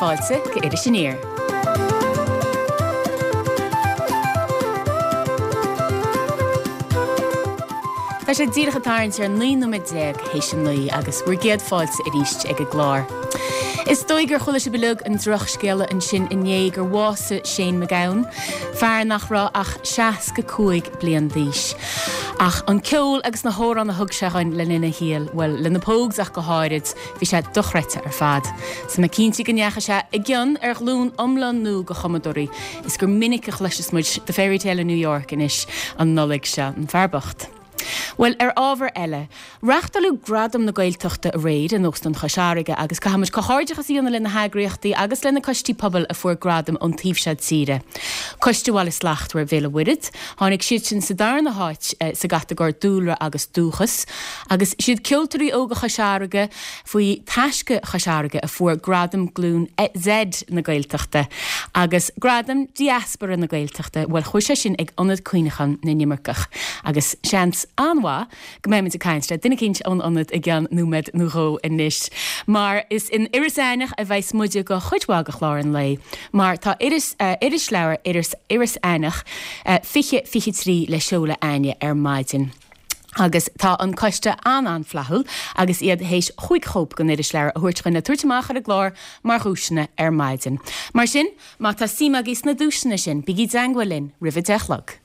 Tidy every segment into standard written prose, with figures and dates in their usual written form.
fáilte go Iris Aniar. Tá sé díreach ag tarraingt ar 19 nóiméad théis a 9 agus bhur gcéad fáilte arís ag an gclár. Is dóigh gur chuala sibh uilig an drochscéala ansin inné gur bhásaigh Shane MacGowan, fear nach raibh ach 65 bliain d'aois. Ach an ceol agus na hamhráin a thug sé dhuinn le linn a shaoil, bhuel, le na Pogues ach go háirid, Bhí sé dochreidte ar fad. 'S tá mé cinnte go ndeachaigh sé i gcion ar ghlúin iomlán nua de chumadóirí is gur minic a chloiseas muid The Fairy Tale of New York anois an Nollaig seo. An fear bocht. Bhuel, ar ábhar eile, reáchtáladh Gradaim na Gaeltachta aréir in Óstán Chois Fharraige agus caithfidh muid comhghairdeachas a dhéanamh le na heagraíochtaí agus le na coistí pobail a fuair gradaim ón taobh seo tíre. Coiste Bhaile Slachtmhar Bhéal an Mhuirthead, tháinig siad sin sa darna háit sa gcatagóir Dúlra agus Dúchas. Agus siad Ceoltóirí Óga Chois Fharraige faoi Taisce Chois Fharraige a fuair Gradam Glúin Z na Gaeltachta agus Gradam Diaspora na Gaeltachta, bhuel chuaigh sé sin ag Ionad Cuimhneacháin na nImirceach agus seans an-mhaith go mbeimid ag caint le duine eicínt ón Ionad i gceann nóiméad nó dhó anois mar is in Iorras Aithneach a bheas muide go chuid mhaith de chlár an lae mar tá iris, irisleabhar Iorras Aithneach 2023 le seoladh a'inne ar maidin. Agus tá an coiste an-an-fhlaithiúil agus iad théis chúig chóip den irisleabhar a thabhairt chugainn le tabhairt amach ar an gclár mar dhuaiseanna ar maidin. Mar sin, má tá suim agaibh sna duaiseanna sin, bígí i dteangmháil linn roimh a 10 a chlog.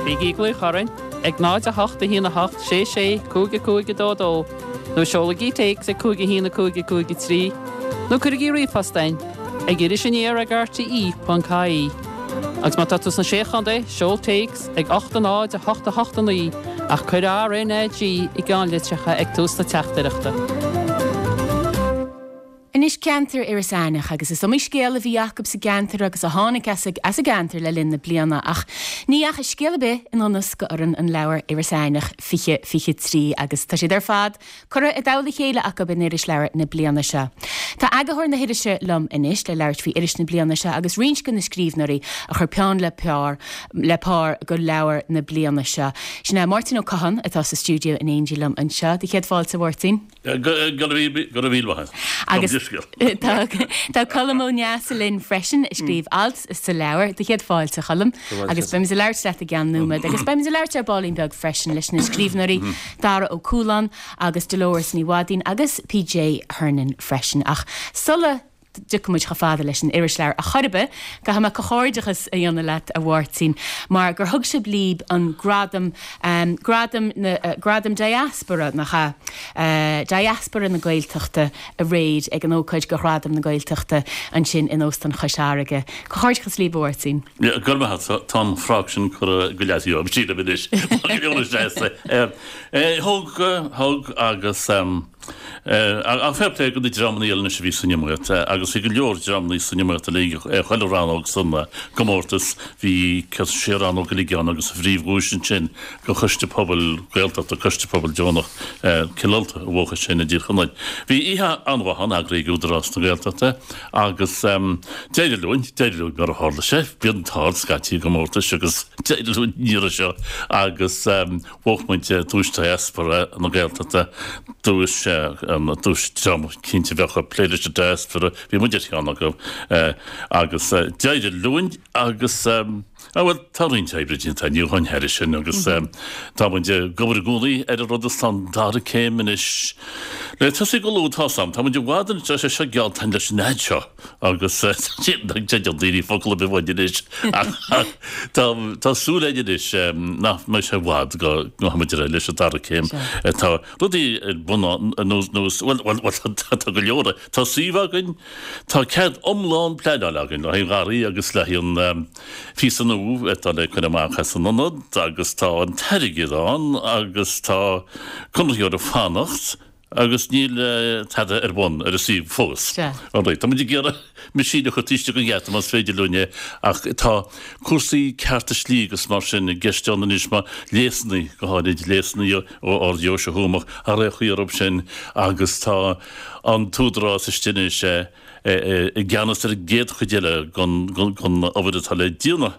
Bígí ag glaoch orainn ag 0 8 1 8 6 6 5 5 2 2 nó seolaigí téacs ag 5 1 5 5 3 nó cuirigí ríomhphost chugainn ag irisaniar ag rte.ie. Agus má tá tú sna Sé Chontae, seol téacs ag 8 0 8 8 9 ach cuir RNAG i gceannlitreacha ag tús na teachtaireachta. Anois ceantar Iorras Aithneach agus is iomaí scéal a bhí acu sa gceantar agus a tháinig as as an gceantar le linn na bliana ach ní dheachaigh scéal ar bith i ndonas go fhoireann an leabhair Iorras Aithneach 2023 agus tá siad ar fad Curtha i dtoll a chéile acu in Irisleabhar na bliana seo. Tá eagarthóir na hirise liom anois le labhairt faoi iris na bliana seo agus roinnt de na scríbhneoirí a chuir peann le pár le pár go leabhar na bliana seo. Sin é Máirtín Ó Catháin atá sa stiúideo in éindí liom anseo. Do chéad fáilte, a Mháirtín. Go raibh míle maith agat. Agus tá tá Colm Ó Neasa linn freisin a scríobh alt sa leabhar. Do chéad fáilte, a Choilm. Agus beimid ag labhairt leat i gceann nóiméad. Agus beimid ag labhairt ar baillín beag freisin leis na scríbhneoirí Dara Ó Cualáin agus Dolores Ní Mhaidín agus PJ Hernon freisin. Ach sula dtiocfaidh muid chomh fada leis an irisleabhar a chor ar bith, caithfidh mé comhghairdeachas a dhéanamh leat, a Mháirtín, mar gur thug sibh libh an gradam, gradam na, gradam Diaspora, nach ea? Diaspora na Gaeltachta aréir ag an ócáid go Ghradaim na Gaeltachta ansin in Óstán Chois Fharraige. Comhghairdeachas libh, a Mháirtín. Go raibh maith agat. Tá an frog sin curtha go leataobh agam, sílim anois. Tá go leor seasta. Thug, thug agus ach fair play do na dreamanna eile anois a bhí san iomaíocht agus bhí go leor dreamanna san iomaíocht uilig ar chuile rannóg san gcomórtas. Bhí sé rannóg uilig ann agus an phríomhdhuais ansin go Choiste Pobail Gaeltachta, Coiste Pobail Deonach Cill Ulta a bhuaigh sin i dTír Chonaill. Bhí oíche an-mhaith ann, eagraithe ag Údarás na Gaeltachta agus d'éirigh linn, d'éirigh linn mar a tharla sé, bíonn an t-ádh ort scaití i gcomórtais agus d'éirigh linn an iarraidh seo agus bhuaigh muid duais Diaspora na Gaeltachta, duais, duais dream cinnte a bheadh ag plé leis an Diaspora, bhí muid ar cheann acu agus d'éirigh linn agus. Á bhuel, tá roinnt oibre déanta ní amháin thairis sin agus tá muid ag obair i gcónaí ar an rud is tá an dara céim anois le tosaí go luath tá's a'm. Tá muid i bhfad anois, tá sé seo geallta leis an fhad seo agus nach dteideal daoine focal ar bith uainn anois ach tá tá súil againn anois nach mbeidh sé i bhfad go ngabhfaidh muid ar aghaidh leis an dara céim. Tá rudaí ar bun nós nós bhuel bhuel bhuel tá go leor tá suíomh againn, Tá cead iomlán pleanála againn le haghaidh an gharraí agus le haghaidh an phíosa nua atá le cur amach as an ionad agus tá an t-airgead ann agus tá conraitheoir ag fanacht agus níl tada ar bun ar an suíomh fós. Alright, tá muid ag iarraidh meaisín a chur taobh istigh den gheata más féidir linn é ach tá cúrsaí cearta slí agus mar sin i gceist ann anois mar léasanna, go háirid léasanna ó Ard-Deoise Thuamach, thar aon chaoi orthu sin agus tá an tÚdarás istigh anois i gceannas ar an gcéad chuid eile den obair atá le déanamh.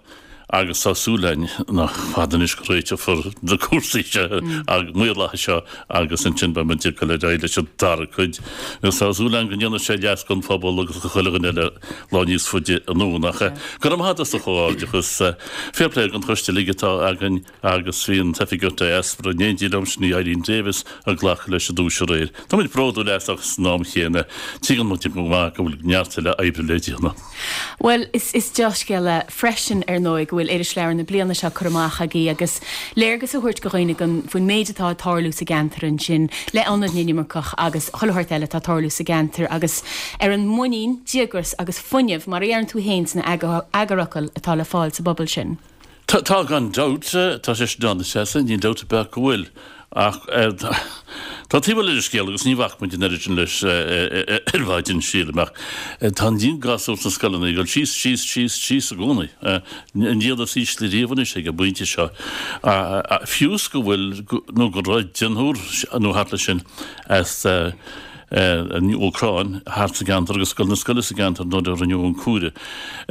Agus tá súil againn nach fada anois go réiteofar na cúrsaí seo, an maorlathas seo agus ansin beidh muid ag dul ar aghaidh leis an dara cuid. Agus tá súil againn go ndéanfaidh sé leas don phobal agus do chuile dhuine eile lá níos faide anonn. Ach go raibh maith agat as do chomhghairdeachas. Fair play don choiste uilig atá againn agus bhí an tOifigeach Diaspora in éindí liom, sin í Eileen Davis, ag glacadh leis an duais aréir. Tá muid bródúil as ach san am chéanna tuigeann muid go maith go bhfuil neart eile oibre le déanamh. Bhuel, is is dea-scéala freisin, ar ndóigh, go bhfuil Irisleabhar na bliana seo curtha amach agaibh agus léargas a thabhairt go dhaoine gon faoin méid atá ag tarlú sa gceantar ansin le Ionad na nImirceach agus chuile shórt eile atá ag tarlú sa gceantar agus ar an muinín, díograis agus fuinneamh, mar a dheireann tú féin sna eagarfhocail, atá le fáil sa bpobal sin. Tá, gan dabht. Tá sé sin ann, is ea, níl dabht ar bith go bhfuil. Ach tá taobh eile den scéal agus ní bhac muid an oiread sin leis ar maidin, sílim, ach tá an líon gasúr sna scoileanna ag dul síos, síos, síos, síos i gcónaí. An líon is ísle riamh anois ag an bpointe seo. Fiú is go bhfuil, nó go raibh deichniúr nó thart leis sin as an Úcráin thart sa gceantar agus ag dul na scoile sa gceantar nuair a rinneadh an cúire.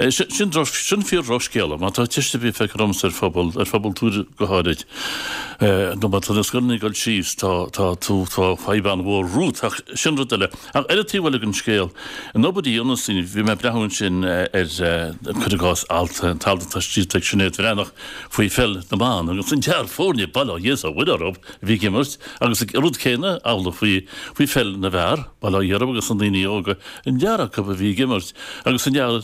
Sin droch, sin fíor dhrochscéala. Má tá teist ar bith feicthe ormsa ar phobal, ar phobal Tuair go háirid, nó má tá na scoileanna ag dul síos, tá, tá tú, tá fadhb an-mhór romhat. Ach sin rud eile. Ach ar an taobh eile den scéal, an obair a dhéanas daoine, bhí mé ag breathnú ansin ar, cuir i gcás, alt, an t-alt atá scríofa ag Sinéad Bhreathnach faoi pheil na mban agus an fear foirne, bail ó Dhia is ó Mhuire orthu, a bhí ag imirt agus an rud céanna amhlaidh faoi faoi pheil na bhfear, bail ó Dhia orthu agus na daoine óga, an lear acu a bhí ag imirt agus an lear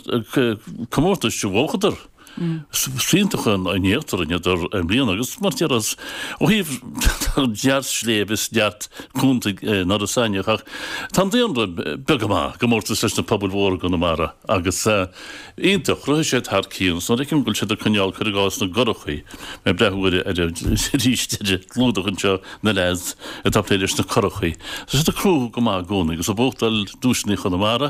comórtais a bhuachadar. Is iontach an éacht a rinneadar i mbliana agus mar déarfá ó thaobh neart sléibh is neart contae in Iorras Aithneach ach tá an daonra beag go maith i gcomórtas leis na pobail mhóra i gConamara agus Iontach, chruthaigh siad thar cionn. Is nuair a fheicim go bhfuil siad ag coinneáil, cuir i gcás, na gcurachaí, mé ag breathnú ar ar arís ar an gclúdach anseo, na leaids atá ag plé leis na curachaí. Tá siad ag cruthú go maith i gcónaí agus ag buachtáil duaiseanna Chonamara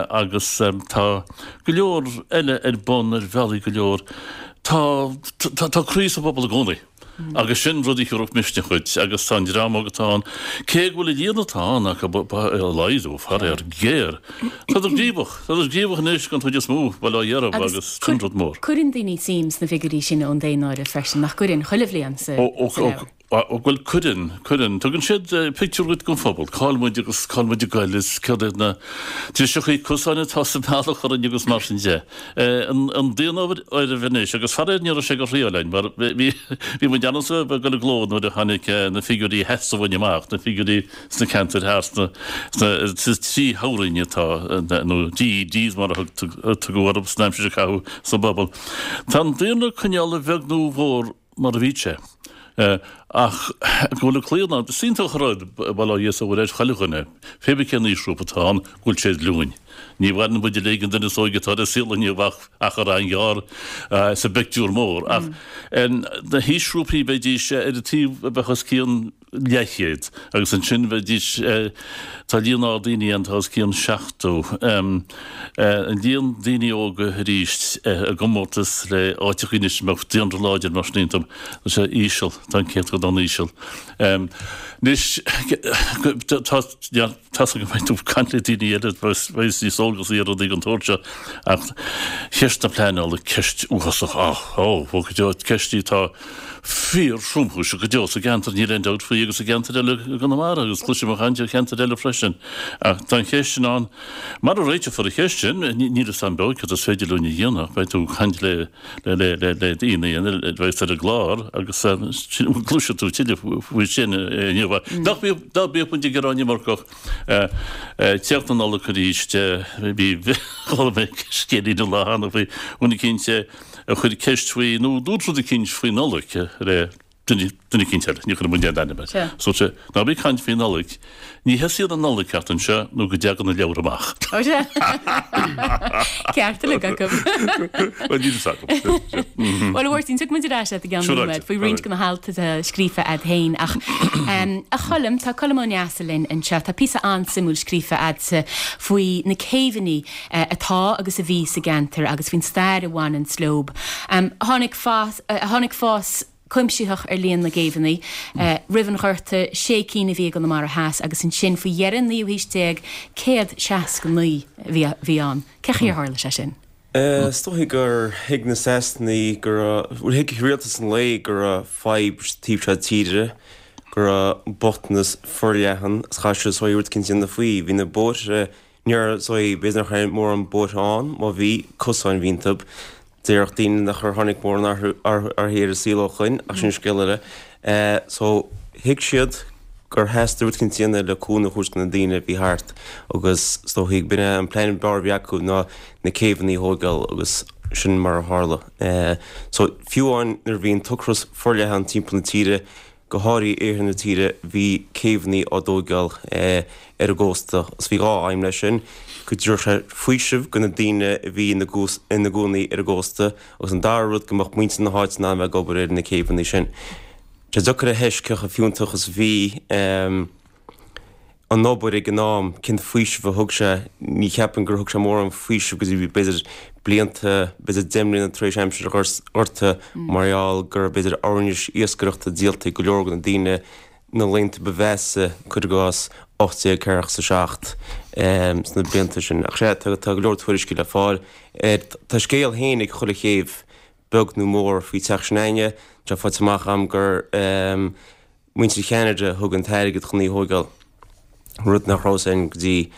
agus tá go leor eile ar bun ar bhealaí go leor. Tá tá croí sa bpobal i gcónaí. Agus sin rud a thabharfadh misneach dhuit, agus tá an dream óg atá ann, cé go bhfuil an líon atá ann acu ag laghdú, faraor géar, tádar gníomhach, tádar gníomhach anois den chuid is mó, bail ó Dhia orthu, agus sin rud mór. Cuireann daoine suim sna figiúirí sin ón daonáireamh freisin, nach gcuireann, chuile bhliain sa leabhar? Ó, bhuel, cuireann, cuireann. Tugann siad pictiúr dhuit den phobal, cá bhfuil muid agus cá bhfuil muid ag goil is céard iad na driseachaí cosáin atá sa mbealach orainn agus mar sin de. An daonáireamh anois, agus faraor ní raibh sé go thriail againn, mar bhí bhí muid ann-sa ag dul i gcló nuair a tháinig na figiúirí sheasta uainn amach, na figiúirí sna ceantair thart sna sna trí thoghroinn atá, nó DEDs mar a tugadh orthu san aimsir a caitheadh sa bpobal. Tá an daonra ag coinneáil a bheag nó a mhór mar a bhí sé. Ach go bhfuil an claonadh ann, is iontach an rud, bail ó Dhia is ó Mhuire ar chuile dhuine, pé bith cén aoisghrúpa atá ann, go bhfuil sé ar glúin. Ní mhaireann muid uilig, an duine is óige atá ar an saol inniu ach achar an-ghearr sa bpictiúr mór. Ach na haoisghrúpaí bheidís ar an taobh a bheadh os cionn leathchéad agus ansin bheidís, tá líon ard daoine ann atá os cionn 70. An líon daoine óga arís i gcomórtas le áiteachaí anois a mbeadh daonra láidir mar sin iontu, tá sé íseal, tá an céatadán íseal. Anois tá, Tá's agam go mbeidh tú ag caint le daoine eile a bheas níos eolgasaí ar rudaí den tsórt seo ach ceist na pleanála, ceist uafásach, á, ó, ó, go deo, ceist í atá fíor-thromchúiseach go deo sa gceantar, níl aon dabht faoi, agus i gceantair eile i gConamara agus cloisim ag caint ar cheantair eile freisin. Ach tá an cheist sin ann. Mara réiteofar an cheist sin, níl fhios a'm beo cad is féidir linn a dhéanamh, beidh tú ag caint le, le, le, le, le daoine eile a bheas ar an gclár agus cloisfidh tú tuilleadh faoi sin inniu. Nach mbíodh, ná bíodh muid ag gearán iomarcach. Teacht na Nollag arís, bhí, chuala mé scéilín an lá cheana faoi dhuine eicínt a chuir ceist faoi, nó dúirt rud eicínt faoi Nollaig le duine, duine eicínt eile, ní chuirfidh muid aon ainm air. So dúirt sé, ná bí ag caint faoi Nollaig, ní thosaíonn an Nollaig ceart anseo nó go dtagann na leabhair amach. Ó sea. Ceart uilig acu. Bhuel, níl fhios agam. Bhuel, a Mháirtín, tiocfaidh muid ar ais leat i gceann nóiméad faoi roinnt de na hailt atá scríofa a'd féin ach a Choilm, tá Colm Ó Neasa linn anseo. Tá píosa an-suimiúil scríofa a'dsa faoi na céibheanna atá agus a bhí sa gceantar agus faoin stair a bhaineanns leob. Tháinig fás, tháinig fás cuimsitheach ar líon na gcéibheanna. Roimh an Ghorta, sé cinn a bhí i gConamara Theas agus ansin faoi dheireadh an naoú haois déag, 169 a bhí ann. Cén chaoi ar tharla sé sin? Is dóichí gur thuig na Sasanaigh go raibh, bhuel thuig rialtas an lae go raibh fadhb sa taobh seo tíre, go raibh bochtanas forleathan agus chaith siad is dóichí rud eicínt a dhéanamh faoi. Bhí na bóithre, ní raibh, is dóichí, b'fhéidir nach raibh mórán bóithre ann, má bhí, cosáin a bhí iontu. Déarfadh daoine nachar tháinig mórán athrú ar an saol ó shoin, ach sin scéal eile. So, thuig siad gur theastaigh rud eicínt a dhéanamh le cúnamh a thabhairt do na daoine a bhí thart agus is dóichí b'in é an plean b'fhearr a bhí acu ná na céibheanna a thóigeáil agus sin mar a tharla. So, fiú amháin nuair a bhí an t-ocras forleathan timpeall na tíre, go háirithe iarthar na tíre, bhí céibheanna á dtóigeáil ar an gcósta agus bhí dhá aidhm leis sin, go dtabharfadh sé faoiseamh do na daoine a bhí ina gcónaí ar an gcósta agus an dara rud go mbeadh muintir na háite in ann bheith ag obair ar na céibheanna sin. Tá sé deacair a thomhas cé chomh fiúntach is a bhí an obair ag an am, cén faoiseamh a thug sé, ní cheapaim gur thug sé mórán faoisimh go dtí b'fhéidir blianta, b'fhéidir 10 mbliana tar éis aimsir an Ghorta mar gheall go raibh b'fhéidir oirnis iascaireachta díolta ag go leor de na daoine na laethanta ba mheasa, cuir i gcás 1847, sna blianta sin. Ach sea, tá go leor tuairiscí le fáil air. Tá scéal féin ag chuile chéibh, beag nó mór, faoi teach sin againne. Tá faighte amach agam gur. Muintir Cheanada a thug an t-airgead chun í a thóigeáil, rud nach raibh a fhios againn go dtí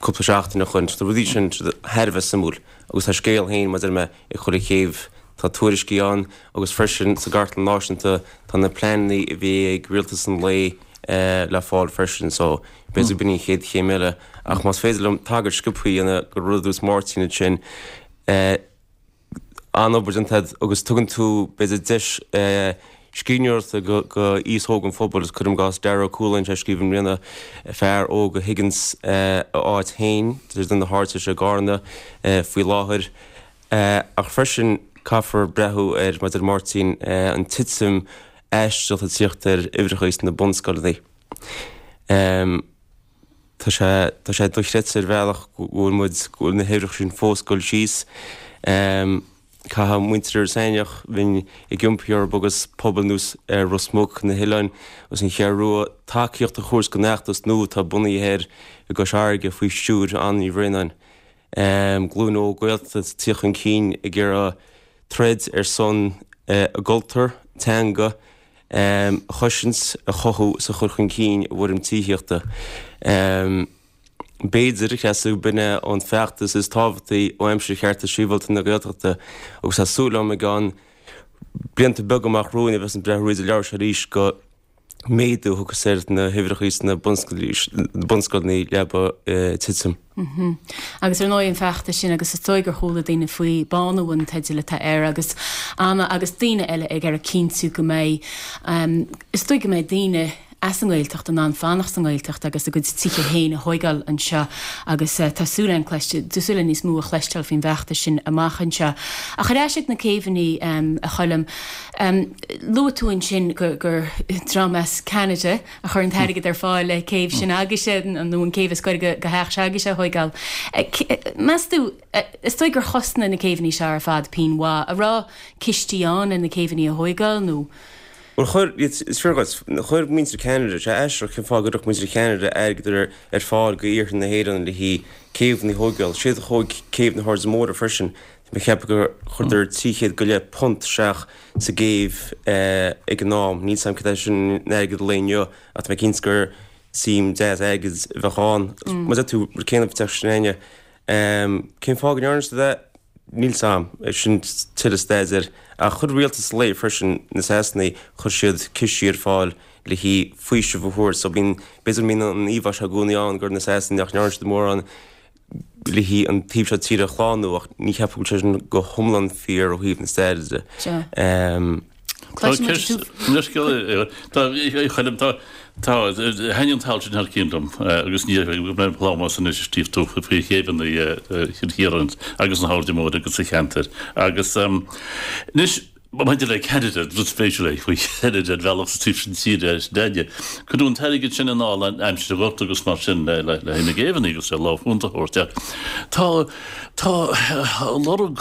cúpla seachtain ó shoin. Tá rudaí sin thar a bheith suimiúil agus tá scéal féin, mar a deir mé, ag chuile chéibh. Tá tuairiscí ann agus freisin sa gCartlann Náisiúnta tá na pleananna a bhí ag rialtas an lae le fáil freisin so b'fhéidir b'in an chéad chéim eile. Ach más féidir liom tagairt sciobtha a dhéanamh go rud a dúirt Máirtín ansin, an-obair déanta agat agus tugann tú, b'fhéidir, deis scríbhneoireachta go aos óg an phobail agus cuirim i gcás Dara Ó Cualáin, sé ag scríobh i mbliana, fear óg a thuigeanns a áit féin, duine de na hardteiste i gCarna faoi láthair. Ach freisin caithfear breathnú ar, mar a deir Máirtín, an titim aisteach atá ag tíocht ar uimhreacha sna bunscoileanna. Tá sé, tá sé dochreidte ar bhealach go bhfuil muid, go bhfuil na huimhreacha sin fós ag dul síos. Caithfidh muintir Iorras Aithneach, bheinn ag iompaí orthu agus pobail ar nós Ros Muc, na hOileáin agus an Cheathrú Rua, tacaíocht a thabhairt don fheachtas nua atá bunaithe thoir i gCois Fharraige faoi stiúir Anna Ní Bhraonáin. Glúin óg Gaeltachta ag tíocht chun cinn ag iarraidh troid ar son a gcultúr, teanga, a chosaint, a chothú is a chur chun cinn i bhfoirm tithíochta. B'fhéidir, a Threasa, b'in é an feachtas is tábhachtaí ó aimsir Chearta Sibhialta na Gaeltachta agus tá súil agam i gceann blianta beaga amach romhainn a bheas ag breathnú thríd an leabhar seo arís go méadú a thiocfas ar na huimhreacha sna bunscoileanna leaba ag titim. Agus ar ndóigh an feachtas sin agus is dóigh gur chuala daoine faoi, Bánú an teideal atá air agus Anna agus daoine eile ag iarraidh cinntiú go mbeidh, is dóigh go mbeidh daoine as an nGaeltacht in ann fanacht sa nGaeltacht agus a gcuid tithe féin a thóigeáil anseo agus tá súil againn cloiste, tá súil againn níos mó a chloisteáil faoin bhfeachtas sin amach anseo. Ach ar ais ag na céibheanna, a Choilm, luaigh tú ansin gur dream as Ceanada, a chuir an t-airgead ar fáil le céibh sin agaibhse, nó an céibh is gaire do theach s'agaibhse a thóigeáil. Meas tú, is dóigh gur chosnaigh na céibheanna seo ar fad pingin mhaith. An raibh cistí ann le na céibheanna a thóigeáil, nó? Bhuel, chuir, is fíor dhuit, chuir muintir Cheanada, sé aisteach cén fáth go gcuirfeadh muintir Cheanada airgead ar fáil go iarthar na hÉireann le haghaidh céibheanna a thóigeáil. Siad a thóig céibh na hAirde Móire freisin. Tá mé ag ceapadh gur chuireadar 300 go leith punt isteach sa gcéibh ag an am. Níl 's a'm céard é sin in airgead an lae inniu ach tá mé cinnte gur suim deas airgid a bheadh ann. Mar a deir tú, rud céanna faoi teach sin againne. Cén fáth go ndearna siad é? Níl 's a'm. Sin tuilleadh staidéir. Ach chuir rialtas an lae freisin, na Sasanaigh, chuir siad cistí ar fáil le haghaidh faoiseamh a thabhairt. So bíonn, b'fhéidir go mbíonn an íomhá seo i gcónaí ann gur na Sasanaigh nach ndearna siad mórán le haghaidh an taobh seo tíre a shlánú ach ní cheapaim go bhfuil sé sin go hiomlán fíor ó thaobh na staire de. Tá thaitnigh an t-alt sin thar cionn liom agus ní raibh plámás anois a scríobh tú faoi chéibheanna Chill Chiaráin agus na hAirde Móire agus a cheantair agus anois Maidir le Ceanada, rud spéisiúil é faoi Cheanada ar bhealach sa taobh sin tíre sin againne. Cuireadh an t-airgead sin i ndáil aimsir an Ghorta agus mar sin le haghaidh na gcéibheanna agus le lámh chúnta a thabhairt ach tá tá lorg.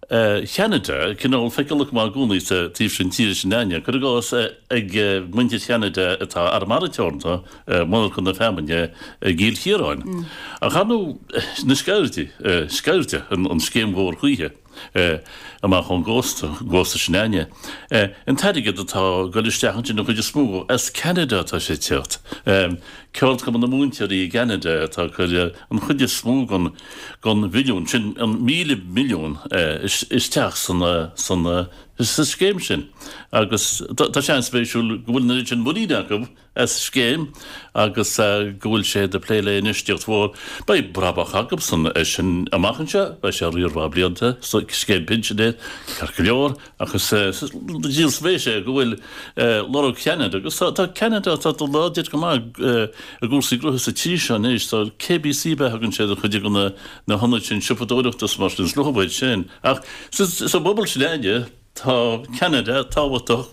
Cheanada cineál feiceálach go maith i gcónaí sa taobh sin tíre sin againne. Cuir i gcás, ag muintir Cheanada atá Arramara Teoranta, monarcha na feamainne i gCill Chiaráin. Ach ar ndóigh, na Sceirde, Sceirde, an scéim mhór choíche amach ón gcósta, an gcósta sin againne. An t-airgead atá ag dul isteach ansin, an chuid is mó, as Ceanada atá sé ag teacht. Ceardchumann na múinteoirí i gCeanada atá ag cur an chuid is mó den den bhilliún sin, an 1,000 milliún, isteach sa scéim sin agus tá sé an-spéisiúil go bhfuil an oiread sin muiníne acu as scéim agus go bhfuil siad ag plé le infheistíocht mhór. Beidh brabach acusan as sin amach anseo, beidh sé riar mhaith blianta, scéim pinsin é, ceart go leor. Ach is díol spéise go bhfuil lorg Cheanada, agus tá Ceanada tá dul láidir go maith i gcúrsaí gnótha sa tír seo anois, tá KBC ab ea a thugann siad ar chuid de na hionaid sin siopadóireachta is mar sin, is luath sin. Ach sa bpobal sin againne tá Ceanada tábhachtach,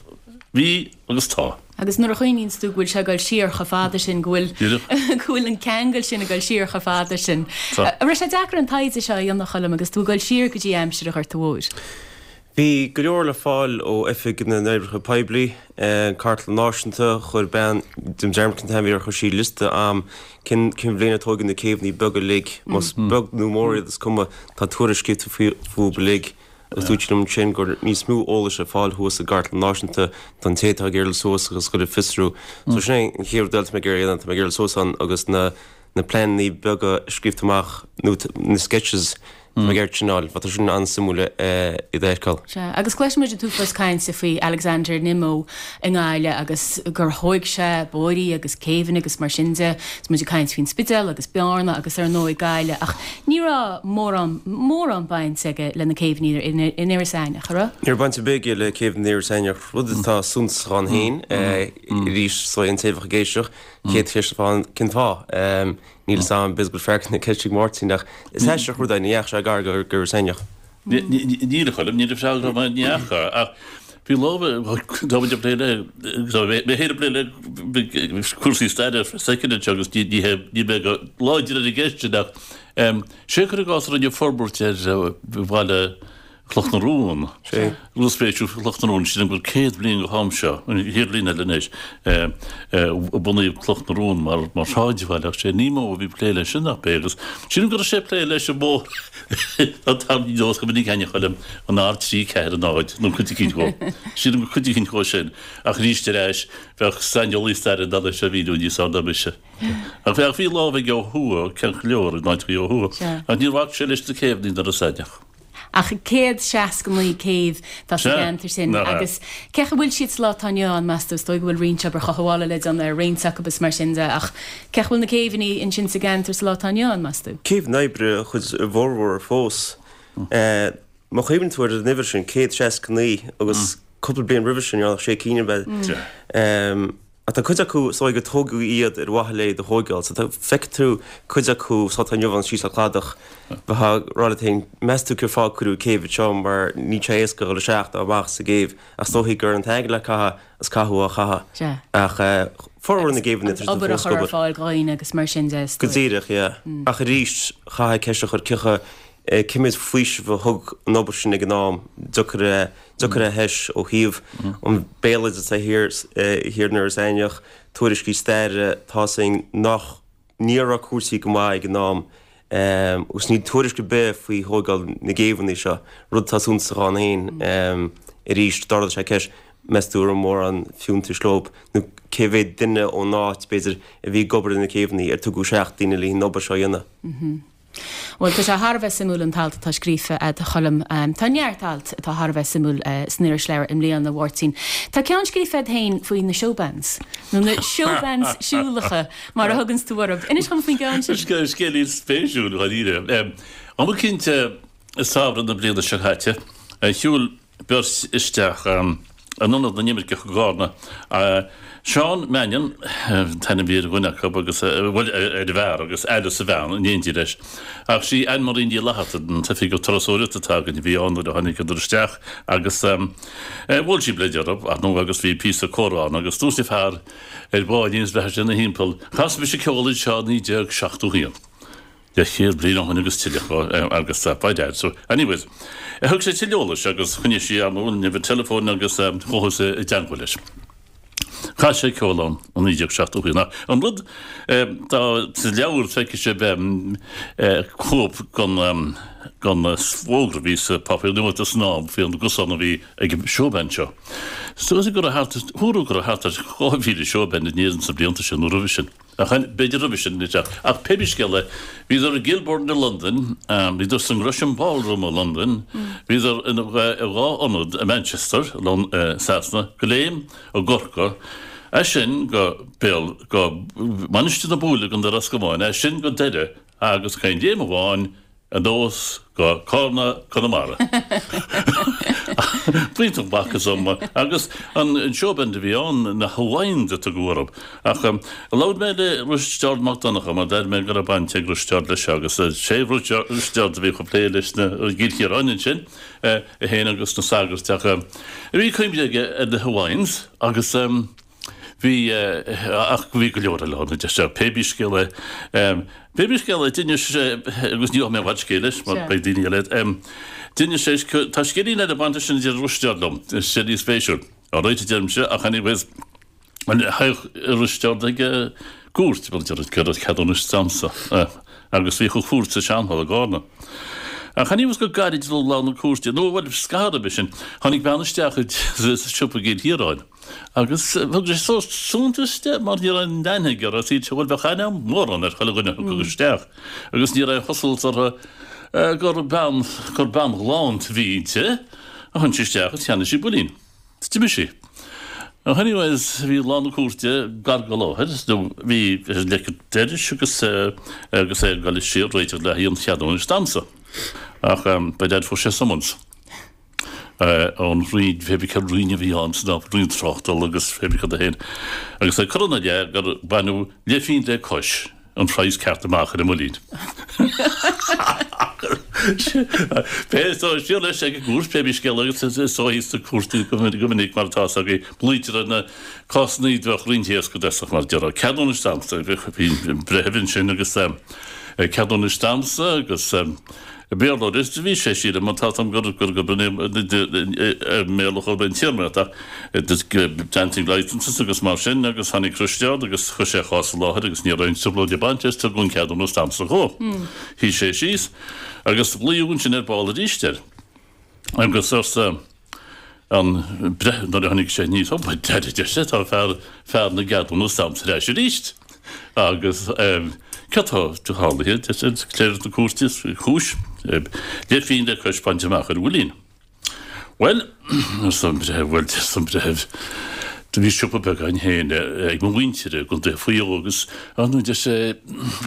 bhí agus tá. Agus nuair a chuimhníonns tú go bhfuil sé ag dul siar chomh fada sin, go bhfuil, go bhfuil an ceangal sin ag dul siar chomh fada sin. An raibh sé deacair an taighde seo a dhéanamh, a Choilm, agus tú ag dul siar go dtí aimsir an Ghorta Mhóir? Bhí go leor le fáil ó Oifig na nOibreacha Poiblí, an Chartlann Náisiúnta, chuir bean, déanaim dearmad cén t-ainm a bhí uirthi, chuir sí liosta a'm cén cén bhliain a tóigeadh na céibheanna beaga uilig, más beag nó mór iad is cuma, tá tuairisc scríofa fúthu uilig agus dúirt sí liom ansin go raibh níos mó eolais ar fáil thuas i gCartlann Náisiúnta don té atá ag iarraidh dul suas agus dul ag fiosrú. So sin é an chéad rud eile atá mé ag iarraidh a dhéanamh, tá mé ag iarraidh dul suas ann agus na na pleananna beaga scríobhta amach nó na sketches Tá mé ag iarraidh sin a fháil, tá sin an-suimiúil iad a fheiceáil. Sea, agus cloisimid an t-uafás cainte faoi Alexander Nimmo i nGaillimh agus gur thóig sé bóithrí agus céibheanna agus mar sin de, is muid ag caint faoin Spidéal agus Bearna agus ar ndóigh Gaillimh ach ní raibh mórán, mórán baint aige le na céibheanna in Iorras Aithneach, an raibh? Ní raibh baint ar bith aige le céibheanna in Iorras Aithneach, rud atá suntasach ann féin, arís, is dóigh an té a bheadh ag éisteacht, chéad cheist atá ann, cén fáth? Níl 'fhios a'm, b'fhéidir go bhfuil freagra na ceiste ag Máirtín ach is aisteach an rud é, ní dheachaigh sé gar go Iorras Aithneach. Níl a Choilm, níl a freagra agam, ní fhaca, ach bhí lámh, tá muid ag plé le, mé féin ag plé le cúrsaí staire soicinde anseo agus ní hé, níl mé go láidir ar an gceist sin ach sé cuir i gcás a rinne forbairt ar bhaile Chloch na Rón. Rud spéisiúil faoi Chloch na Rón, sílim gur 100 bliain go ham seo, an chéad bhliain eile anois, a bunaíodh Cloch na Rón mar mar shráidbhaile ach sé Nimmo a bhí ag plé leis sin nach b'é agus sílim go raibh sé ag plé leis an mbóthar tá an t-am ní go minic aithne Choilm an R3 4 0 nó cuid eicínt dhó. Sílim gur cuid eicínt dhó sin ach arís ar ais bheadh saineolaí staire in ann é seo a mhíniú níos fearr ná mise. Ach bheadh bhí lámh aige ó thuaidh, ceart go leor, in áiteachaí ó thuaidh ach níor bhac sé leis na céibheanna in Iorras Aithneach. Ach 169 céibh atá sa gceantar sin agus cén chaoi a bhfuil siad sa lá atá inniu ann, meas tú? Is dóigh go bhfuil roinnt obair chothabhála le déanamh ar roinnt acu is mar sin de ach cén chaoi a bhfuil na céibheanna ansin sa gceantar sa lá atá inniu ann, meas tú? Céibheanna oibre an chuid mhórmhór fós. Má chuimhníonn tú ar an uimhir sin, 169, agus cúpla bliain roimhe sin, ní raibh ach sé cinn ab ea? Ach tá cuid acu, is dóigh gur tógadh iad ar mhaithe le iad a thóigeáil. So tá, feicfidh tú cuid acu sa lá atá inniu ann síos le cladach. Bheifeá ag rá leat féin, meas tú cén fáth a cuireadh céibh anseo mar níl sé éasca a dhul isteach ná amach sa gcéibh. Ach is dóichí gur an t-airgead le caitheamh is caitheadh á chaitheamh. Sea. Ach formhór na gcéibheanna tá siad Obair a fós ag chur ar obair. fáil do dhaoine agus mar sin de, is Go dóigh. díreach, yeah. Ach arís, chaithfeá ceist a chur cé chomh, cé mhéad faoiseamh a thug an obair sin ag an am, deocair a, deocair a thomhas ó thaobh an bhéaloideas thiar thiar in Iorras Aithneach, tuairiscí staire, tá's againn nach, ní raibh cúrsaí go maith ag an am agus níl tuairisc ar bith faoi thóigeáil na gcéibheanna seo, rud atá suntasach ann féin. Arís, d'ardaigh sé ceist, meas tú an raibh mórán fiúntais leo nó cé mhéad duine ón áit, b'fhéidir, a bhí ag obair ar na céibheanna, ar tugadh isteach daoine le an obair seo a dhéanamh? Bhuel, tá sé thar a bheith suimiúil an t-alt atá scríofa a'd, a Choilm. Tá neart alt atá thar a bheith suimiúil san irisleabhar i mbliana, a Mháirtín. Tá ceann scríofa a'd féin faoi na showbands, nó na showbands siúlacha, mar a thuganns tú orthu. Inis dhom faoin gceann sin. Scéilín spéisiúil, dháiríre. Am eicínt i samhradh na bliana seo caite, shiúil beirt isteach in Ionad na nImirceach i gCarna. Seán Mannion an t-ainm a bhí ar dhuine acu agus, bhuel, ar an bhfear agus Alice a bhean in éindí leis. Ach sí Anne Marie Ní Fhlatharta, an t-oifigeach turasóireachta atá againn a bhí ann nuair a tháinigeadar isteach agus bhuail sí bleid orthu, ar ndóigh, agus bhí píosa comhrá ann agus dúirt an fear ar báinín is bheatha sé ina thimpeall, Chas mise ceol anseo i 1971. Leathchéad bliain ó shin agus tuilleadh agus by dad so anyways thug sé tuilleadh eolais agus choinnigh sí ar ndóigh an uimhir teileafóin agus chuathas i dteangmháil leis. Chas sé ceol ann i 1971 ach an rud tá sa leabhar feicfidh sibh cóip den den fhógra a bhí sa Páipéar Nuachta san am faoi an gcosán a bhí ag an showband seo. Is dóigh go raibh thart ar go raibh thart ar 2,000 showband in Éirinn sna blianta sin nó roimhe sin. Ach b'fhéidir roimhe sin, ach pé bí scéal é, bhíodar i gKilburn i Londain, bhíodar san Gresham Ballroom i Londain, bhíodar in dhá ionad i Manchester, Sasana, go Léim i gCorcaigh, as sin go Béal, go Mainistir na Búille i gContae Ros Comáin, as sin go Doire agus chaon léim amháin, anuas go Cárna, Conamara. B'iontach maith is uma agus an showband a bhí ann, na Hawaiians a tugadh orthu. Ach labhair mé le Risteárd Mac Donncha mar d'airigh mé go raibh baint ag Risteárd leis seo agus sé Risteárd a bhí chomh plé leis na i gCill Chiaráin ansin, é féin agus na sagairt ach bhí cuimhne aige ar na Hawaiians agus Bhí, ach bhí go leor eile ann, a deir sé, pé bí scéal é. Pé bí scéal é, d'inis sé, agus ní gheobhaidh mé i bhfad scéil leis, mar beidh daoine eile, d'inis sé, tá scéilín eile ag baint leis sin a deir Risteárd liom, scéilín spéisiúil. Alright a deirimse, ach anyways, théadh Risteárd ag cúirt, mar a deir an ceadúnas damhsa, agus bhíodh an chúirt sa seanhalla i gCárna. Ach anyways go gairid roimh lá na cúirte, nó bhuel, scaitheamh roimhe sin, tháinig bean isteach sa siopa i gCill Chiaráin. Agus thug sé sórt suntais di mar ní raibh aon aithne aige uirthi, shíl sé, bhuel, bheadh aithne agam mórán ar chuile dhuine a thiocfadh isteach agus ní raibh aon chosúlacht uirthi gur bean, gur bean ghalánta a bhí inti. Ach tháinig sí isteach agus cheannaigh sí builín. Is d'imigh sí. Ach anyways, bhí lá na cúirte gar go láthair, nó bhí ar leic an dorais agus, agus é ag dul siar réiteach le haghaidh an cheadúnais damhsa. Ach by dad fuair sé summons. ón Roinn, pé bí cén Roinn a bhí ann san am, Roinn Tráchtála agus pé bí cad é féin, agus é ag cur ina leith gur baineadh leithphéint le cois an praghas ceart amach ar an mbuilín. Pé so siar leis ag an gcúirt, pé bí scéal agus is dóigh sna cúirteanna go minic mar atá 's agaibh, glaoitear ar na cásanna a bheadh roinnt éasca dosach mar a déarfá. Ceadúnais damhsa, bhí an breitheamh ansin agus ceadúnais damhsa agus Béarlóir is bhí sé sílim má tá gur gur gur mBéarla chomh an téarma ach dancing licences agus mar sin agus tháinig Risteárd agus chuir sé a chás i láthair agus ní raibh aon trioblóid ag baint leis tugadh an ceadúnas damhsa dhó. Shuigh sé síos agus glaodh ansin ar ball arís air agus arsa an breitheamh nuair a tháinig sé aníos, Ó, by dad, a deir sé, tá fear, fear na gceadúnas damhsa ar ais arís. Agus cad tá tarlaithe, deir sé, cléireach na cúirte, cúis, leithphéint le cois bainte amach ar an bhuilín. Bhuel, arsa an breitheamh, bhuel, arsa an breitheamh, do bhí siopa beag againn féin ag mo mhuintir i gContae Mhaigh Eo agus, ar ndóigh, deir sé,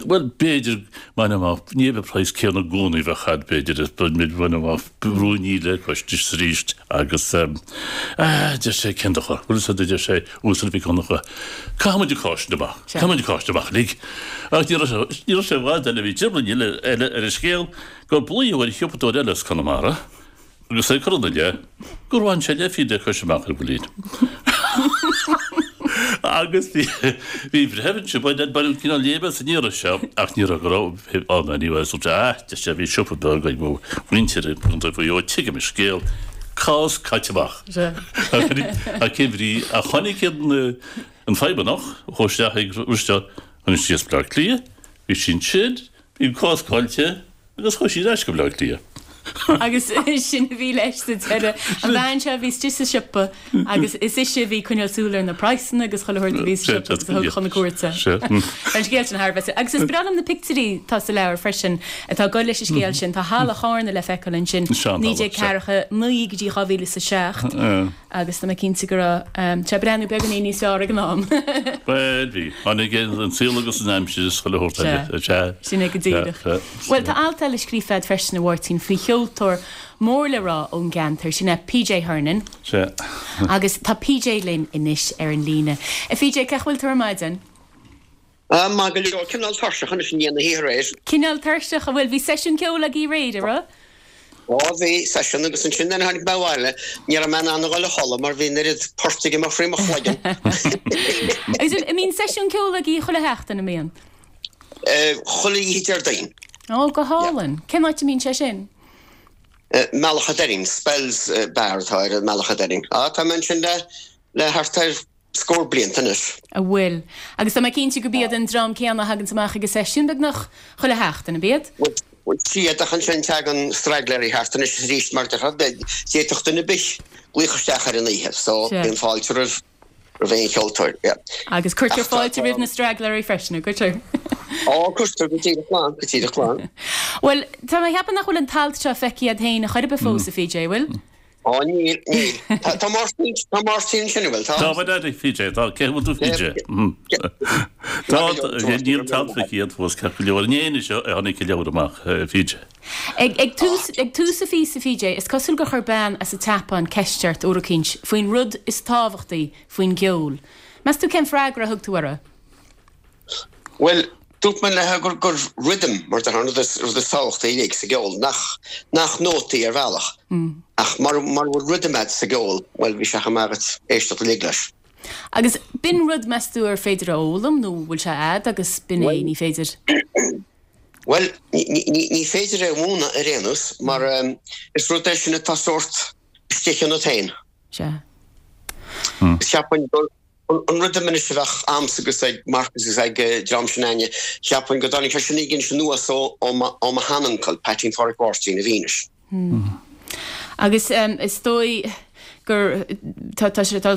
bhuel, b'fhéidir, bain amach, ní hé an praghas céanna i gcónaí a bheadh agat, b'fhéidir, bain amach ruainnín le cois anois arís agus, ah, deir sé, cén dochar, bhfuil fhios agat, a deir sé, Uasal Mhic Dhonncha, caithfidh muid an cás sin amach, caithfidh muid an cás sin amach uilig. Ach ní raibh sé, ní raibh sé i bhfad eile, bhí trioblóid eile ar an scéal gur glaodh ar shiopadóir eile as Conamara, Agus é ag cur ina leith gur bhain sé leithphéint le cois amach ar an bhuilín. Agus bhí bhí breitheamh ansin, baineadh baineadh cineál léime as an iarraidh seo ach ní raibh go raibh ann anyway so ah deir sé bhí siopa beag ag mo mhuintir i gContae Mhaigh Eo tuigim an scéal, cás caite amach. Ach cén bhrí ach tháinig an an feidhmeannach a chuaigh isteach ag Risteárd, tháinig sí as Baile Átha Cliath, bhí sí ansin, bhí an cás caillte, Agus chuaigh sí ar ais go Baile Átha Cliath. Agus sin a bhí leis sa deireadh. An bhean seo a bhí istigh sa siopa agus is ise a bhí ag coinneáil súil ar na praghsanna agus chuile shórt a bhí sa siopa agus a thug chun na cúirte. Tá an scéal sin thar a bheith. Agus is breá liom na pictiúirí atá sa leabhar freisin atá ag dul leis an scéal sin. Tá Halla Chárna le feiceáil ansin, 1949 go dtí 2007. Agus tá mé cinnte go raibh sé ag breathnú beagáinín níos fearr ag an am. Bhuel, bhí. Tháinig an saol agus an aimsir is chuile shórt eile. Sea. Sin é go díreach. Bhuel, tá alt eile scríofa agat freisin, a Mháirtín, faoi cheoltóir mór le rá ón gceantar, sin é PJ Hernon. Sea. Agus tá PJ linn anois ar an líne. A PJ, cén chaoi a bhfuil tú ar maidin? Maith go leor. Cineál tuirseach anois i ndiaidh na hoíche aréir. Cineál tuirseach, an bhfuil? Bhí seisiún ceoil agaibh aréir, an raibh? Ó bhí, seisiún agus ansin nuair a tháinig mé abhaile ní raibh mé in ann a dhul a chodladh mar bhí an oiread poirt ag imeacht thrí mo chloigeann. Agus an mbíonn seisiún ceoil agaibh chuile sheachtain, an mbíonn? Chuile oíche Déardaoin. Ó, go hálainn. Cén áit a mbíonn sé sin? Mullach an Doirín, Spells Bar atá air i Mullach an Doirín. Á, tá mé ansin le, le thart ar scór blianta anois. A bhfuil. Agus tá mé cinnte gurb iad an dream céanna a thaganns amach ag an seisiún beagnach chuile sheachtain, ab iad? Bhuel, siad, ach ansin tagann straigléirí thart anois is arís mar d'fhéadfadh duine ar bith glaoch isteach ar an oíche, so bíonn fáilte roimh roimh aon cheoltóir, yeah. Agus cuirtear fáilte roimh na straigléirí freisin, an gcuirtear? Ó, cuirtear, go díreach glan, go díreach glan. Bhuel, tá mé ag ceapadh nach bhfuil an t-alt seo feicthe agat féin a chor ar bith fós, a PJ, bhfuil? Ó, níl, níl. Tá, tá Máirtín, tá Máirtín ansin, an bhfuil? Tá. Tá, a Dhaidí, PJ, tá, cé bhfuil tú, PJ? Tá, níl an t-alt feicthe agat fós, ceart go leor. Inné anois a tháinig an leabhar amach, PJ. Ag, ag tús, ag tús an phíosa, PJ, is cosúil gur chuir bean as an tSeapáin ceist ort uair eicínt faoin rud is tábhachtaí faoin gceol. Meas tú cén freagra a thug tú uirthi? Bhuel, dúirt mé léi gur, gur rhythm, mar a déarfá, an rud is, rud is tábhachtaí uilig sa gceol, nach, nach nótaí ar bhealach. Ach mara, mara bhfuil rhythm a'd sa gceol, bhuel, bhí sé chomh maith agat éisteacht uilig leis. Agus b'in rud, meas tú, ar féidir a fhoghlaim nó bhfuil sé a'd agus b'in é, ní féidir? Bhuel, ní, ní, ní féidir é a mhúineadh ar aon nós, mar is rud é sin atá sórt istigh ionat féin. Sea. Cheapfainn gur, An rhythm anois a bheadh a'msa agus ag Marcus agus ag dream sin a'inne, cheapfainn go dtáinig sé sin anois anuas ó ó mo sheanuncail, Peaitín Pháraic Mháirtín a bhí anois. Agus is dóigh gur, tá tá sé tá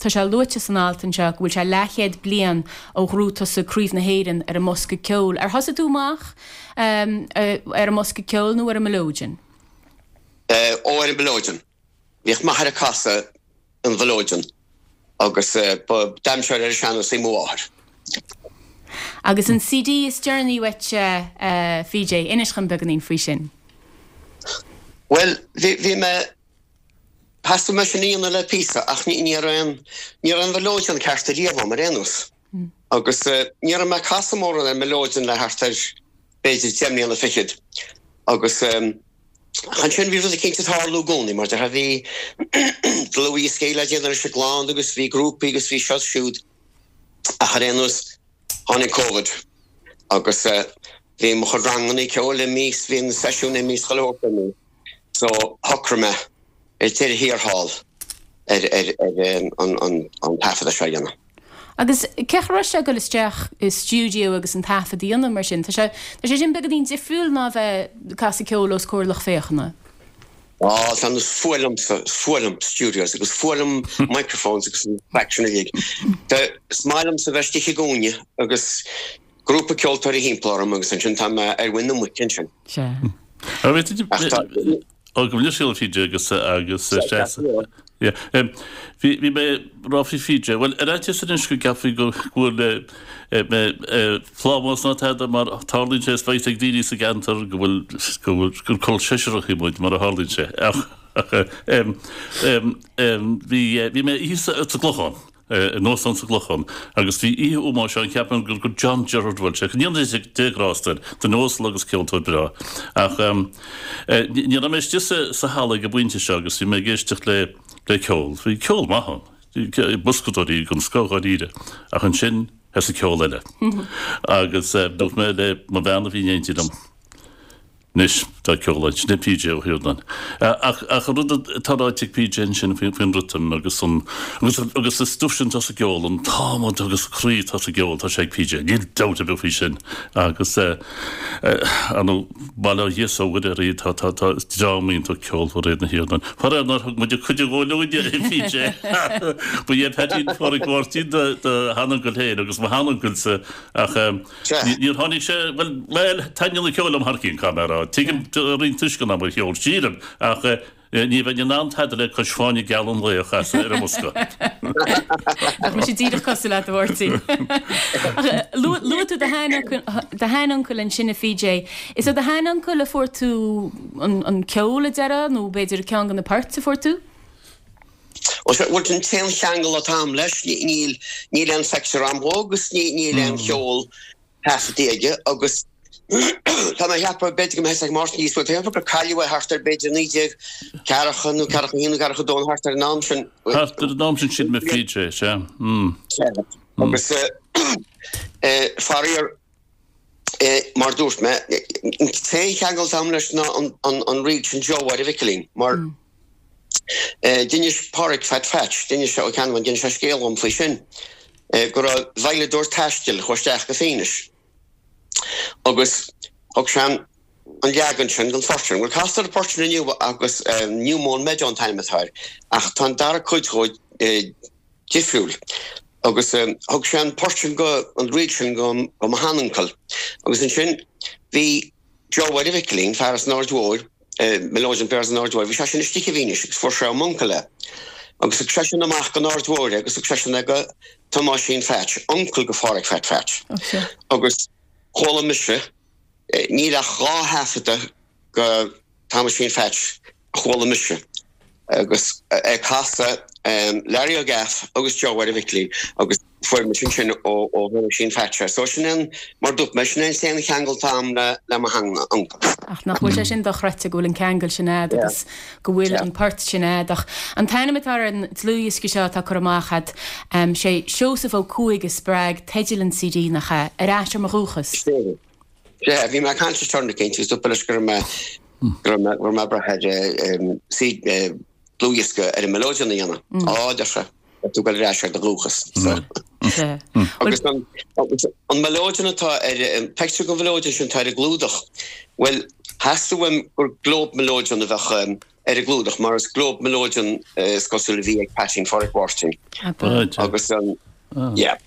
sé luaite san alt anseo go bhfuil sé leathchéad bliain ó ghnóthaigh tusa Craobh na hÉireann ar an mbosca ceoil. Ar thosaigh tú amach ar an mbosca ceoil nó ar an mileoidean? Ó ar an mhileoidean. Bhíodh m'athair ag casadh an mhileoidean agus ba damhsóir ar an sean-nós í mo mháthair. Agus an CD is deireanaí uait, a PJ, inis dhom beagáinín faoi sin. Bhuel, bhí, bhí mé, theastaigh uaim sin a dhéanamh le píosa ach ní, ní raibh aon, ní raibh aon mhileoidean ceart ariamh a'm ar aon nós. Agus ní raibh mé ag casadh mórán ar mileoidean le thart ar b'fhéidir deich mbliana fichead. Agus ansin bhí rud eicínt ag tarlú i gcónaí, mar déarfá bhí dlúthdhioscaí le déanamh leis an gclann agus bhí grúpaí agus bhí seo is siúd. Ach ar aon nós tháinig Covid agus bhí mo chuid ranganna ceoil imithe is bhí na seisiúin imithe is chuile shórt imithe. So shocraigh mé ar deireadh thiar thall ar an taifeadadh seo a dhéanamh. Agus cén chaoi a raibh sé ag dul isteach i stiúideo agus an taifead a dhéanamh mar sin? Tá sé tá sé sin beagáinín difriúil ná a bheith ag casadh ceoil os comhair lucht féachana. Á, tá is fuath liomsa, is fuath liom studios agus fuath liom microphones agus an craic sin uilig. Is maith liomsa bheith istigh i gcúinne agus grúpa ceoltóirí thimpeall orm agus ansin tá mé ar mhuin na muice ansin. Sea. Ach tá. Ó, gabh mo leithscéal a PJ agus agus yeah. Bhí bhí mé ag rá faoi PJ, bhuel ar fhaitíos anois go gceapfaí go bhfuil mé plámás ná tada mar tarlaíonn sé is beidh ag daoine sa gceantar go bhfuil go bhfuil gur col seisearach muid mar a tharlaíonn sé ach ach bhí bhí mé thíos sa gClochán. in óstán sa gClochán agus bhí oíche ómóis ann, cheapfainn gur gur John Gerard bhuel sé, go ndéana Dia grásta air, duine uasal agus ceoltóir breá. Ach ní raibh mé istigh sa sa halla ag an bpointe seo agus bhí mé ag éisteacht le le ceol. Bhí ceol maith ann, boscadóirí den scoth dháiríre, ach ansin thosaigh ceol eile. Agus dúirt mé le mo bhean a bhí in éindí liom, Anois, tá ceol ann, sin é PJ Ó hIarnáin. Ach ach an rud atá ráite ag PJ ansin faoin faoin riotam agus an agus agus an stuif sin atá sa gceol, an t-adhmad agus an croí atá sa gceol, tá sé ag PJ. Níl dabht ar bith faoi sin. Agus eh ar ndóigh, bail ó Dhia is ó Mhuire orthu, tá tá tá dream iontach ceolmhar iad na hIarnáin. Faraor nár thug muid cuireadh dhóibh uainne, a PJ. Ba é Peaitín Phádraic Mháirtín do do sheanuncail féin agus mo sheanuncailse ach eh Níor tháinig sé, bhuel, bhuel, taitníonn an ceol liom thar cionn, caithfidh mé a rá. Tuigim roinnt tuisceana mar cheol, sílim, ach ní bheinn in ann tada le cois Fáinne Geal an Laoi a chasadh ar an mbosca. Nach mise díreach cosúil leat, a Mháirtín. Ach luaigh tú do sheanuncail ansin, a PJ. Is ó do sheanuncail a fuair tú an ceol, a déarfá, nó b'fhéidir ceann de na poirt a fuair tú? Bhuel, an t-aon cheangal atá agam leis, níl níl aon phictiúr agam dhó agus níl aon cheol taifeadta aige agus tá mé ag ceapadh, b'fhéidir go mbeidh ag Máirtín níos mó, tá mé ag ceapadh gur cailleadh é thart ar b'fhéidir 1940 nó 41 nó 42 nó thart ar an am sin. Thart ar an am sin sílim a PJ, sea. Agus faraor. Mar dúirt mé, an t-aon cheangal atá agam leis ná an ríl sin Joe Mháire Mhicilín, mar d'inis Páraic Phat Phatch, d'inis sé Ó Ceannabháin, d'inis sé scéal dhom faoi sin, go raibh veidhleadóir taistil a chuaigh isteach go Fínis agus thug sé an leagan sin den phort sin. Bhuel, castar an port sin inniu agus New Mown Meadow an t-ainm atá air, ach tá an dara cuid dhó difriúil. Agus thug sé an port sin go, an ríl sin go mo sheanuncail. Agus ansin bhí Joe Mháire Mhicilín, fear as an Aird Mhóir, melodeon player as an Aird Mhóir, bhí seisean istigh i bhFínis agus fuair sé ó m'uncail é. Agus thug seisean amach go Aird Mhóir é agus thug seisean é go Tomáisín Phatch, uncail go Pháraic Phat Phatch. Agus chuala mise, níl ach 2 thaifeadadh go Tomáisín Phatch a chuala mise agus é ag casadh Larry O'Gaff agus Joe Mháire Mhicilín agus fuair mise ansin ó Thomáisín Phatch é. So sin é, mar dúirt mé, sin é an t-aon cheangal atá agam le mo sheanuncail. Ach nach bhfuil sé sin dochreidte go bhfuil an ceangal sin a'd agus go bhfuil an port sin a'd. Ach an t-ainm atá ar an dlúthdhiosca seo atá curtha amach a'd, sé Seosamh Ó Cuaig a spreag teideal an CD, nach ea? Ar ais ar mo dhúchas. Sea, bhí mé ag caint leis tráth eicínt agus dúirt mé leis go raibh mé, go raibh mé, go raibh mé ag brath ar dlúthdhiosca ar an melodeon a dhéanamh. Á, a deir sé, tá tú ag dul ar ais ar do dhúchas. So. Sea. Agus an, agus an melodeon atá ar, an pictiúr den mhelodeon sin atá ar an gclúdach, bhuel, theastaigh uaim gur Globe melodeon a bheadh ar an gclúdach mar is Globe melodeon is cosúil a bhí ag Peaitín Pháraic Mháirtín. Agus an, yeah.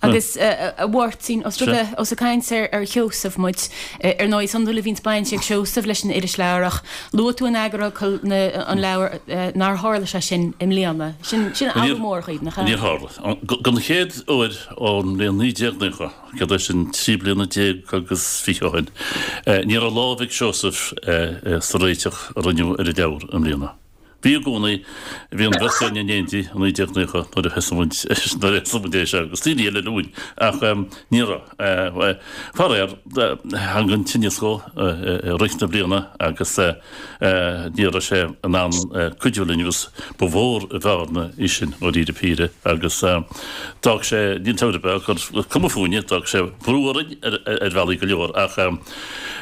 Agus a Mháirtín, os rud é, ós ag caint ar Sheosamh muid, ar ndóigh is iondúil a bhíonns baint ag Seosamh leis an irisleabhar ach luaigh tú in eagarfhocal an leabhair nár tharla sé sin i mbliana. Sin athrú mór dhaoibh, nach ea? Níor tharla. Don chéad uair ón mbliain 1990, céard é sin, 13 bliana agus 20 ó shin, ní raibh lámh ag Seosamh sa réiteach a rinneadh ar an leabhar i mbliana. Bhí i gcónaí, bhí an bheirt againn in éindí i 1990 nuair a thosaigh muid, nuair a thosaigh muid é seo agus daoine eile linn ach ní raibh. Faraor, tháinig an tinneas dhó i rith na bliana agus ní raibh sé in ann cuidiú linn agus ba mhór an bhearna í sin dháiríre píre agus d'fhág sé, níl dabht ar bith ach gur cuma fúinne, d'fhág sé brú orainn ar bhealaí go leor ach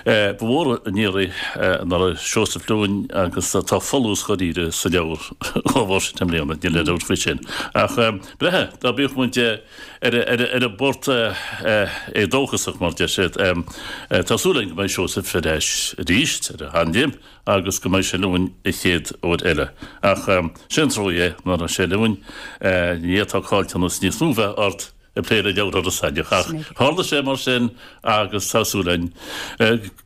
Ba mhór an iarraidh nach raibh Seosamh linn agus tá folús dháiríre sa leabhar dá bharr sin i mbliana, níl aon dabht faoi sin. Ach breithe, dá bíodh muid ar an bport éadóchasach, mar deir siad, tá súil againn go mbeidh Seosamh ar ais arís ar a sheanléim agus go mbeidh sé linn an chéad uair eile. Ach sé an trua é nach raibh sé linn, ní fhéadfá caillteanas níos mó bheith ort. ag plé le leabhar Iorras Aithneach ach tharla sé mar sin agus tá súil againn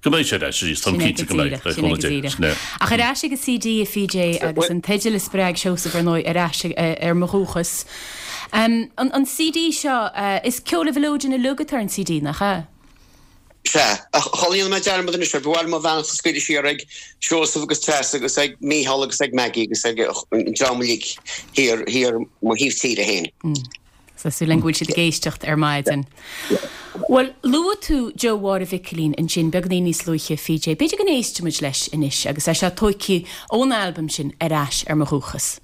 go mbeidh sé ar ais arís, táim cinnte go mbeidh, le cúnamh Dé. Sin é. Ach ar ais ag an CD a PJ agus an teideal a spreag Seosamh ar ndóigh, Ar ais ar mo dhúchas. An CD seo, is ceol an mheileoidin uilig atá ar an CD, nach ea? Sea, ach shula ndéanfaidh mé dearmad anois air, ba mhaith liom mo bheannacht a scaoileadh siar ag Seosamh agus Treasa agus ag Mícheál agus ag Maggie agus ag an dream uilig thiar, thiar mo thaobh tíre féin. Tá súil againn go bhfuil siad ag éisteacht ar maidin. Bhuel, luaigh tú Joe Mháire Mhicilín ansin beagáinín níos luaithe, PJ. B'fhéidir go n-éistfimid leis anois agus é seo tóigthe ón albam sin Ar Ais ar Mo Dhúchas.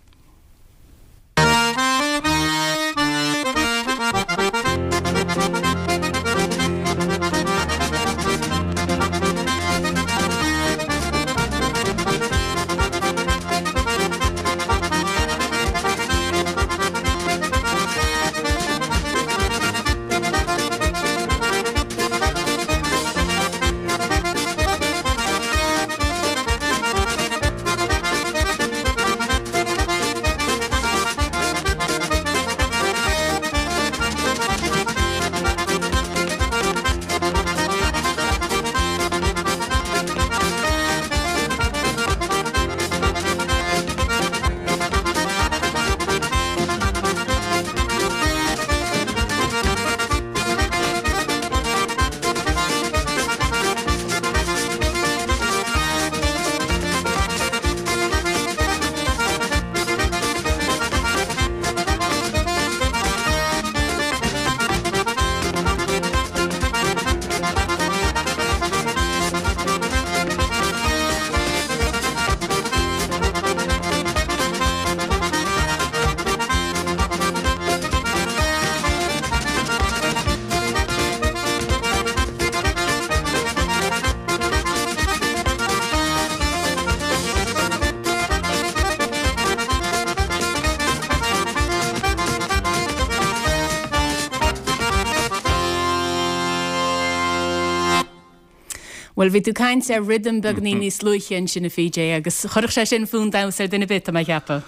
Bhuel, bhí tú ag caint ar rhythm beagainín níos luaithe ansin, a PJ, agus chuirfeadh sé sin fonn damhsa ar duine ar bith, tá mé ag ceapadh.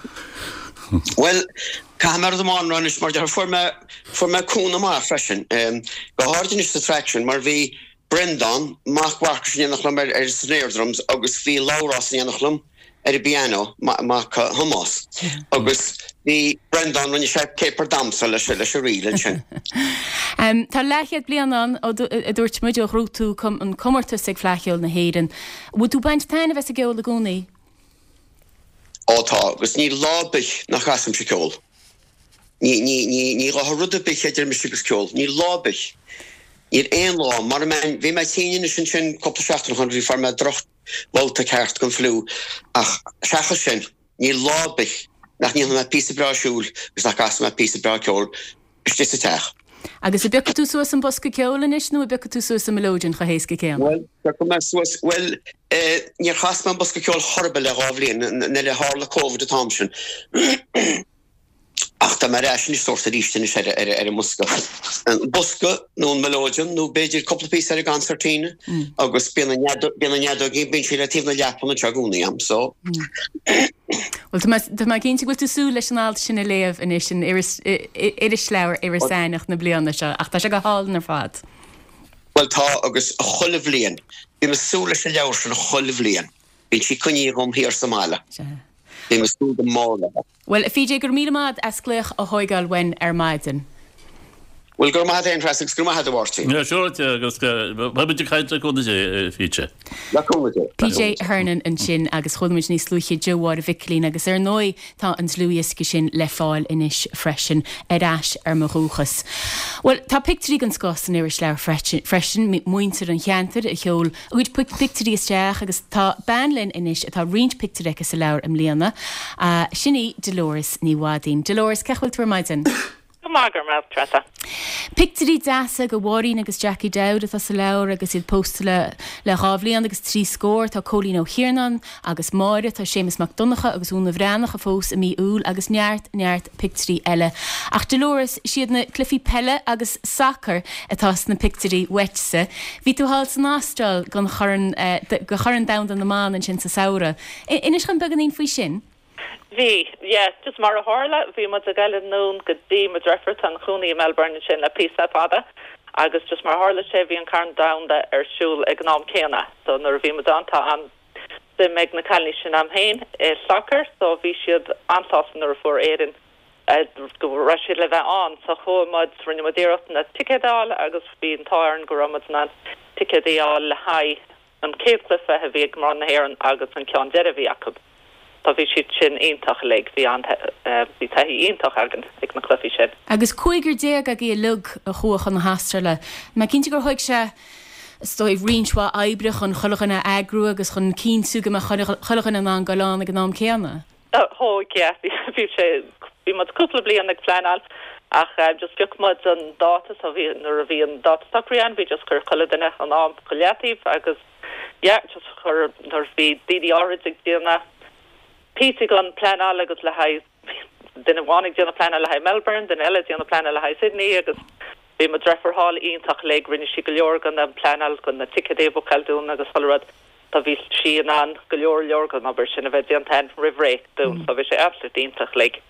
Bhuel, caithfidh mé rud amháin a rá anois, mar deir, fuair mé, fuair mé cúnamh maith freisin, go háirid anois sa traic sin, mar bhí Breandán, mac Mharcais in éineacht liom ar ar snare drums agus bhí Labhrás in éineacht liom ar an bpianó, mac Thomáis. Agus bhí Breandán, rinne sé caper damhsa leis leis an ríl ansin. Tá leathchéad bliain ann, a dúirt muid, ó ghnóthaigh tú an comórtas ag Fleadh Cheoil na hÉireann. Bhfuil tú ag baint taitneamh as an gceol i gcónaí? Ó tá, agus níl lá ar bith nach gcasaimse ceol. Ní, ní, ní, ní ghabhfadh rud ar bith idir mise agus ceol. Níl lá ar bith. Níl aon lá. Mara mbeinn, bhí mé tinn anois ansin cúpla seachtain ó shin, bhí, fuair mé droch bhabhta ceart den fliú ach seachas sin, níl lá ar bith nach ndéanfaidh mé píosa breá siúil agus nach gcasfaidh mé píosa breá ceoil istigh sa teach. Agus an bpiocfaidh tú suas an bosca ceoil anois nó an bpiocfaidh tú suas an mileoidean chomh héasca céanna? Bhuel, piocfaidh mé suas, bhuel, níor chas mé an bosca ceoil chor ar bith le dhá bhliain, nuair a tharla Covid an t-am sin. Ach tá mé ar ais anois sórt arís anois ar ar an mbosca. An bosca nó an mileoidean nó b'fhéidir cúpla píosa ar an gconcertina agus bíonn an bíonn an fheadóg bíonn sí le taobh na leapan anseo i gcónaí a'm so. Bhuel tá mé tá mé cinnte go bhfuil tú ag súil leis an alt sin a léamh anois in iris irisleabhar Iorras Aithneach na bliana seo ach tá sé go hálainn ar fad. Bhuel tá agus chuile bhliain. Bím ag súil leis an leabhar sin chuile bhliain. Bíonn sí coinnithe agam thiar sa mbaile. Bím ag súil go mór léi. Bhuel, a PJ, go raibh míle maith agat as glaoch a thóigeáil uainn ar maidin. Bhuel, go raibh maith agat féin, Treasa, agus go raibh maith agat, a Mháirtín. Yeah, sure, agus beidh muid ag caint le cúnamh Dé, a PJ. Le cúnamh Dé. PJ Hernon ansin agus chuala muid níos luaithe Joe Mháire Mhicilín agus ar ndóigh tá an dlúthdhiosca sin le fáil anois freisin, Ar ais ar mo dhúchas. Bhuel, tá pictiúirí den scoth san irisleabhar freisin, muintir an cheantair a sheol a gcuid pictiúirí isteach agus tá bean linn anois atá roinnt pictiúr aici sa leabhar i mbliana. Sin í Dolores Ní Mhaidín. Dolores, cén chaoi a bhfuil tú ar maidin? Go maith, go raibh maith agat, Treasa. Pictiúirí deasa de Mháirín agus Jackie Dowd atá sa leabhar agus iad pósta le le dhá bhliain agus trí scór. Tá Cóilín Ó hIarnáin agus Máire, tá Séamus Mac Donncha agus Úna Bhreathnach a phós i mí Iúil agus neart, neart pictiúirí eile. Ach Dolores, siad na cluichí peile agus sacair atá sna pictiúirí uaitse. Bhí tú thall san Astráil don Chorn, do Chorn Domhanda na mBan ansin sa samhradh. Inis dhom beagáinín faoi sin. Bhí, yeah. Just mar a tharla, bhí muid ag goil anonn go dtí mo dheirfiúr atá ina cónaí i Melbourne ansin le píosa fada agus just mar a tharla sé bhí an Corn Domhanda ar siúl ag an am céanna. So nuair a bhí muid ann tá an suim ag na cailíní sin a'm féin i sacar so bhí siad an-sásta nuair a fuair Éirinn go raibh siad le bheith ann so chuaigh muid, rinne muid iarracht na ticéid a fháil agus bhí an t-ádh orainn go raibh muid in ann ticéid a fháil le haghaidh an chéad chluiche a bhí ag mná na hÉireann agus an ceann deiridh a bhí acu so bhí siad sin iontach uilig, bhí an, bhí taithí iontach againn ag na cluichí sin. Agus cúigear déag agaibh uilig a chuaigh chun na hAstráile, mé cinnte gur thóig sé is dóigh, roinnt mhaith oibre chun chuile dhuine a eagrú agus chun cinntiú go mbeadh chuile dhuine in ann goil ann ag an am céanna. Thóg, yeah. Bhí sé, bhí muid cúpla bliain ag pleanáil ach just phioc muid an dáta so bhí, nuair a bhí an dáta socraithe ann bhí just chuir chuile duine an am go leataobh agus yeah just chuir, nuair bhí daoine áirid ag déanamh píosaí den pleanáil agus le haghaidh duine amháin ag déanamh pleanáil le haghaidh Melbourne, duine eile ag déanamh pleanáil le haghaidh Sydney agus Bhí mo dreifir thall iontach uilig, rinne sí go leor den pleanáil, den na ticéadaí a bhookáil dúinn agus chuile rud, so bhí sí in ann go leor leor den obair sin a bheith déanta a'inn roimh ré dúinn, so bhí sé absolutely iontach uilig.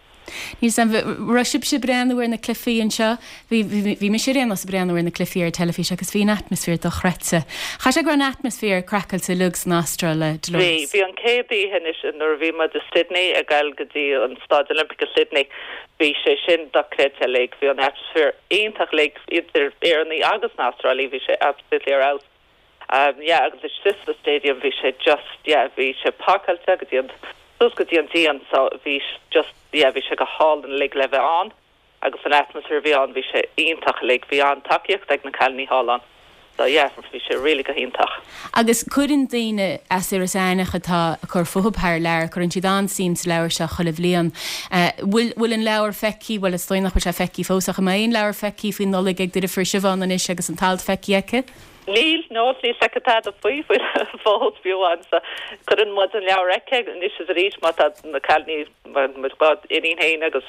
Níl 's a'm, raibh sibhse ag breathnú ar na cluichí anseo? Bhí, bhí, bhí mise ar aon nós ag breathnú ar na cluichí ar an teilifís agus bhí an atmaisféar dochreidte. Chaithfidh sé go raibh an atmaisféar craiceáilte uilig san Astráil, Bhí, Dolores. bhí an chéad oíche anois nuair a bhí muid i Sydney ag goil go dtí an Staid Olympic i Sydney, Bhí sé sin dochreidte uilig. Bhí an atmaisféar iontach uilig idir Éireannaigh agus na Astrálaigh, bhí sé absolutely ar fheabhas. Yeah agus istigh sa stadium bhí sé just yeah bhí sé pacáilte go dtí an suas go dtí an díon so bhí just yeah bhí sé go hálainn uilig le bheith ann agus an atmaisféar a bhí ann bhí sé iontach uilig. Bhí an-tacaíocht ag na cailíní thall ann. So yeah, bhí sé really go hiontach. Agus cuireann daoine as Iorras Aithneach atá ag cur fúthu thar lear, cuireann siad an-suim sa leabhar seo chuile bhliain. Bhfuil, bhfuil an leabhar feicthe, bhuel is dóigh nach bhfuil sé feicthe fós ach an mbeidh an leabhar feicthe faoin Nollaig ag do dheirfiúr Siobhán anois agus an t-alt feicthe aici? Níl, no, níl s'aici tada faoi, faoi fós fiú amháin. So cuireann muid an leabhar aici anois is arís má tá na cailíní, mo dhá iníon féin agus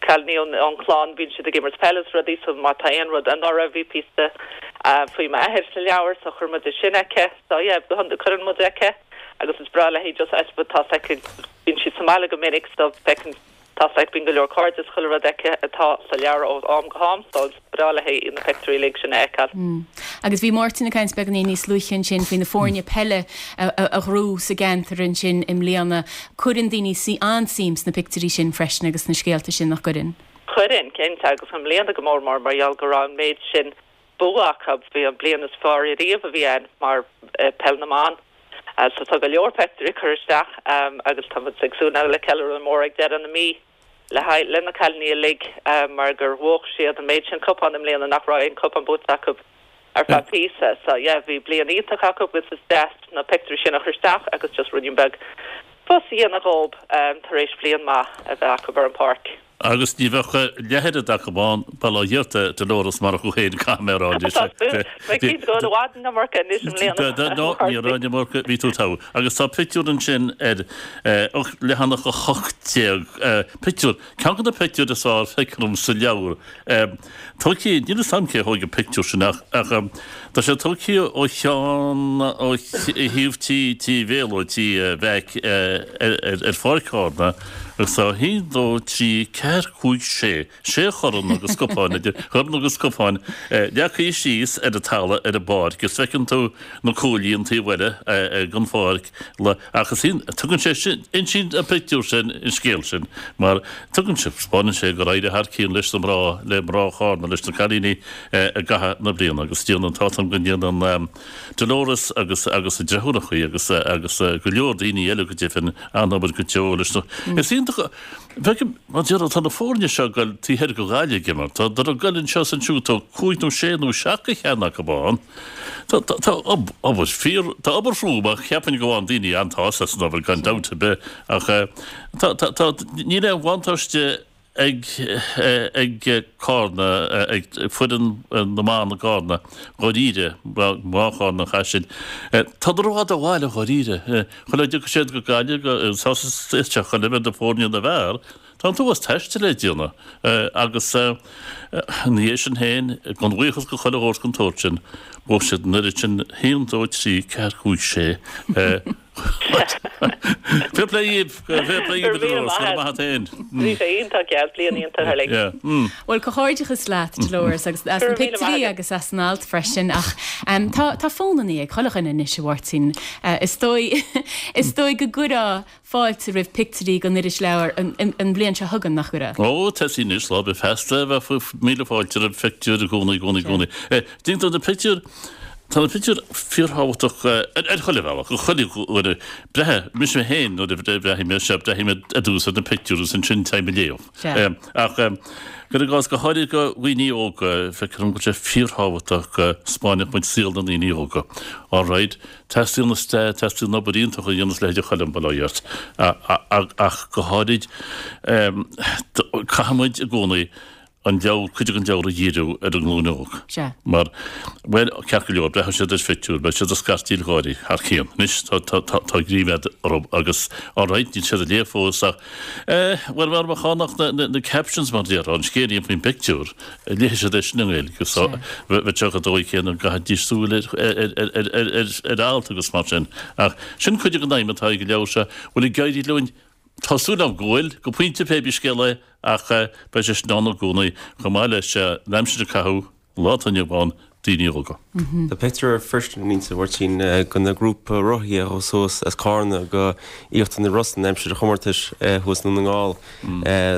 cailíní ón chlann, bíonn siad ag imirt peile is rudaí so má tá aon rud, anuraidh bhí píosa. Faoi m'athair sa leabhar so chuir muid é sin aici. So yeah, cuireann muid aici agus is breá léi just I suppose tá 's aici, bíonn sí sa mbaile go minic so feiceann, tá 's aici, bíonn go leor cairde is chuile rud aici atá sa leabhar ó am go ham so is breá léi na pictiúirí uilig sin a fheiceáil. Agus bhí Máirtín ag caint beagáinín níos luaithe ansin faoi na foirne peile a ghnóthaigh sa gceantar ansin i mbliana. Cuireann daoine an-suim sna pictiúirí sin freisin agus sna scéalta sin, nach gcuireann? Cuireann, cinnte, agus i mbliana go mór mór mar gheall go raibh an méid sin bua acu. Bhí an bliain is fearr ariamh a bhí ann mar peil na mban. So tá go leor pictiúirí curtha isteach agus tá muid ag súil le ceiliúradh mór ag deireadh na mí le haghaidh le na cailíní uilig mar gur bhuach siad an méid sin cupán i mbliana nach raibh aon cupán buaite acu ar feadh píosa. So yeah bhí bliain iontach acu agus is deas na pictiúirí sin a chur isteach agus just ruainnín beag fuss a dhéanamh dhób tar éis bliain maith a bheith acu ar an páirc. Agus ní bheadh leath oiread acu ann, bail ó Dhia ort, a Dolores, marach thú féin, caithfidh mé a rá anois. Tá súil, beidh cinnte go bhfuil i bhfad an iomarca anois i mbliana. No, ní raibh an iomarca, bhí tú togha. Agus tá pictiúr ansin ar leathanach 18, pictiúr, ceann de na pictiúir is fearr feicthe agam sa leabhar. Tógtha, níl fhios a'm cé a thóig an pictiúr sin ach tá sé tógtha ó cheann, ó thaobh tí, tí Bhéarla, tí Mheaic ar Pháirc Chárna agus tá haon, dó, trí, ceathair, cúig, sé, sé chorn agus cupáin, idir chorn agus cupáin leagtha síos ar an talamh ar an bpáirc agus feiceann tú na cuaillí an taobh eile den pháirc. Ach is iontach, tugann sé sin, insíonn an pictiúr sin an scéal sin mar tugann sé, 'spáineann sé gur éirigh thar cionn leis na mná, le mná Chárna, leis na cailíní i gcaitheamh na bliana agus déanann, tá 'fhios a'm go ndéanann Dolores agus agus a deirfiúrachaí agus agus go leor daoine eile go deimhin an-obair go deo leis na, is iontach, feicim, mar déarfá, tá na foirne seo ag goil taobh thoir de Ghaillimh ag imirt, tá, tá ag goil anseo is ansiúd, tá cúig nó sé nó seacht de cheann acu ann. Tá obair fíor, tá obair throm ach cheapfainn go bhfaigheann daoine an-sásamh as an obair gan dabht ar bith ach tá, tá, tá, níl aon bhuntáiste ag, ag Cárna, ag foireann na mban i gCárna dháiríre, mná Chárna an Chaisil. Tá rófhada ó bhaile dháiríre. Chuile a dtiocfaidh siad go Gaillimh, go, isteach chuile bheith na foirne na bhfear, Tá an t-uafás taistil le déanamh agus ina dhiaidh sin féin, gan bhuíochas go chuile shórt den tsórt sin, bhuaigh siad an oiread sin, haon, dó, trí, ceathair, cúig, sé. Fair play dhíbh, fair play dhíbh, a Dolores, go raibh maith a't féin. Bhí sé iontach geal, bliain iontach uilig. Bhuel, comhghairdeachas leat, Dolores, agus as na pictiúirí agus as an alt freisin. Ach tá tá fónannaí ag chuile dhuine anois, a Mháirtín. Is dóigh is dóigh go gcuirfeá fáilte roimh pictiúirí don irisleabhar an bhliain seo chugainn, nach gcuirfeá? Ó, tá sí anois, lá bith feasta, bheadh míle fáilte roimh phictiúir i gcónaí, i gcónaí, i gcónaí. Déantar na pictiúir, tá na pictiúir fíorthábhachtach ar chuile bhealach, ar chuile dhuine. Breithe, mise mé féin nuair a bhreathnaigh mé seo, breathnaigh mé ar dtús ar na pictiúir agus ansin téim ag léamh. Ach cuir i gcás, go háirithe do dhaoine óga, feictear dom go bhfuil sé fíorthábhachtach go 'spáinfeadh muid saol na ndaoine óga. All right, Teastaíonn is teastaíonn obair iontach a dhéanamh leithéid Choilm, bail ó Dhia ort, ach go háirid caithfidh muid i gcónaí an leabhar, cuid den leabhar a dhíriú ar an nglúin óg. Sea. Mar, bhuel, ceart go leor, breathnóidh siad ar phictiúr, beidh siad ag scartaíl gáirí thar cionn. Anois, tá, tá, tá, tá ríméad orthu agus, alright, níl siad ag léamh fós ach, eh, bhuel, mar ba chánach na, na, na captions mar a déarfá, an scéilín faoin bpictiúr, Léifidh siad é sin i nGaeilge so bheadh sé an dóigh céanna go gcaithfidís súil ar alt agus mar sin. Ach sin cuid den aidhm atá ag an leabhar seo. Bhfuil ag éirí linn? Tá súil agam go bhfuil, go pointe pé bí scéal é, ach beidh sé sin ann i gcónaí, chomh maith leis an aimsir a caitheadh, an lá atá inniu ann, daoine óga. Tá pictiúr freisin insa, a Mháirtín, den ghrúpa rothaithe a chuaigh suas as Cárna go Íochtar na Rosann aimsir an chomórtais thuas i nDún na nGall.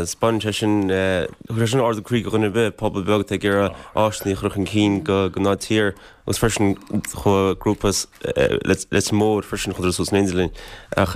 'Spáineann sé sin, chuir sé sin ardú croí do dhuine ar bith, pobal beag atá ag iarraidh áiseanna a chur chun cinn do ghnáth tír agus freisin chuaigh grúpa as Leitir Móir freisin chuadar suas in éindí linn. Ach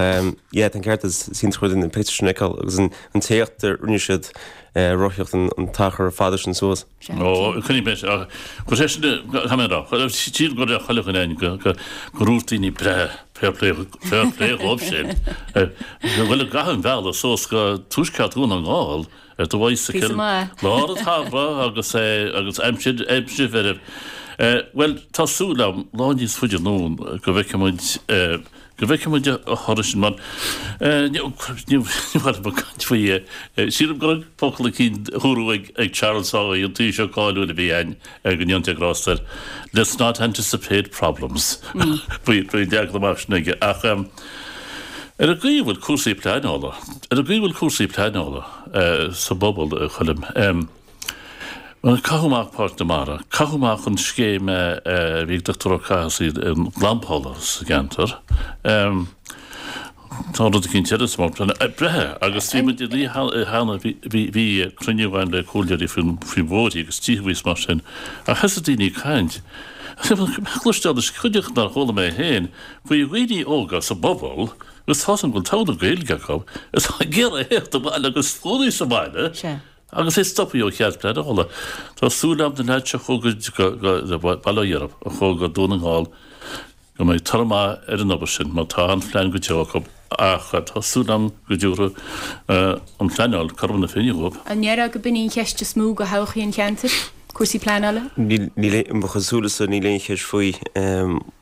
yeah, tá an ceart agat, is iontach rud na pictiúir sin a fheiceáil agus an t-éacht a rinne siad rothaíocht an t-achar fada sin suas. Ó, coinnigh mé, chuir sé sin, caithfidh mé a rá, sílim go raibh chuile dhuine ann go, go, gur dhúirt daoine breá, fair play, fair play dhóibh sin. Go bhfuil ag caitheamh an bhealaigh suas go tuaisceart Dhún na nGall ar do bhicycle, Píosa maith. lár an tsamhraidh agus é, agus aimsir, aimsir mheirbh. Bhuel, tá súil agam, lá níos faide anonn, go bhfeicfidh muid. Go bhfeicfidh muid an toradh sin mar ní mhaith liom caint faoi. Sílim go raibh focal eicínt dúradh ag Charles Haughey, an Taoiseach cáiliúil a bhí ann, go ndéana Dia grásta air, 'Let's not anticipate problems'. Bhí an leagan amach sin aige. Ach ar an gcaoi a bhfuil cúrsaí pleanála, ar an gcaoi a bhfuil cúrsaí pleanála sa bpobal, a Choilm, Caitheadh amach Páirc na Mara, caitheadh amach an scéim a bhí ag Dr. Ó Cathasaigh an lampála sa gceantar. Tá rud eicínt eile sa mBord Breithe agus bhí muid ag cheana, bhí cruinniú againn le comhairleoirí faoi bhóithrí agus tithe agus mar sin ach thosaigh daoine ag caint. Cloisteáil cuid nár chuala mé féin faoi dhaoine óga sa bpobal agus tá's agam go bhfuil togha na Gaeilge acu atá ag iarraidh theacht abhaile agus cónaí sa bhaile. Agus é stoptha ó chead pleanála. Tá súil agam na leaids seo a chuaigh go Baile Átha Dheirb, a chuaigh go Dún na nGall, go mbeidh toradh maith ar an obair sin mar tá an-phlean go deo acu ach tá súil agam go dtabharfaidh an phleanáil cothrom na Féinne dhóibh. An ndéarfá go b'in í an cheist is mó do thodhchaí an cheantair, cúrsaí pleanála? Níl, mo chosúlachta níl aon cheist faoi.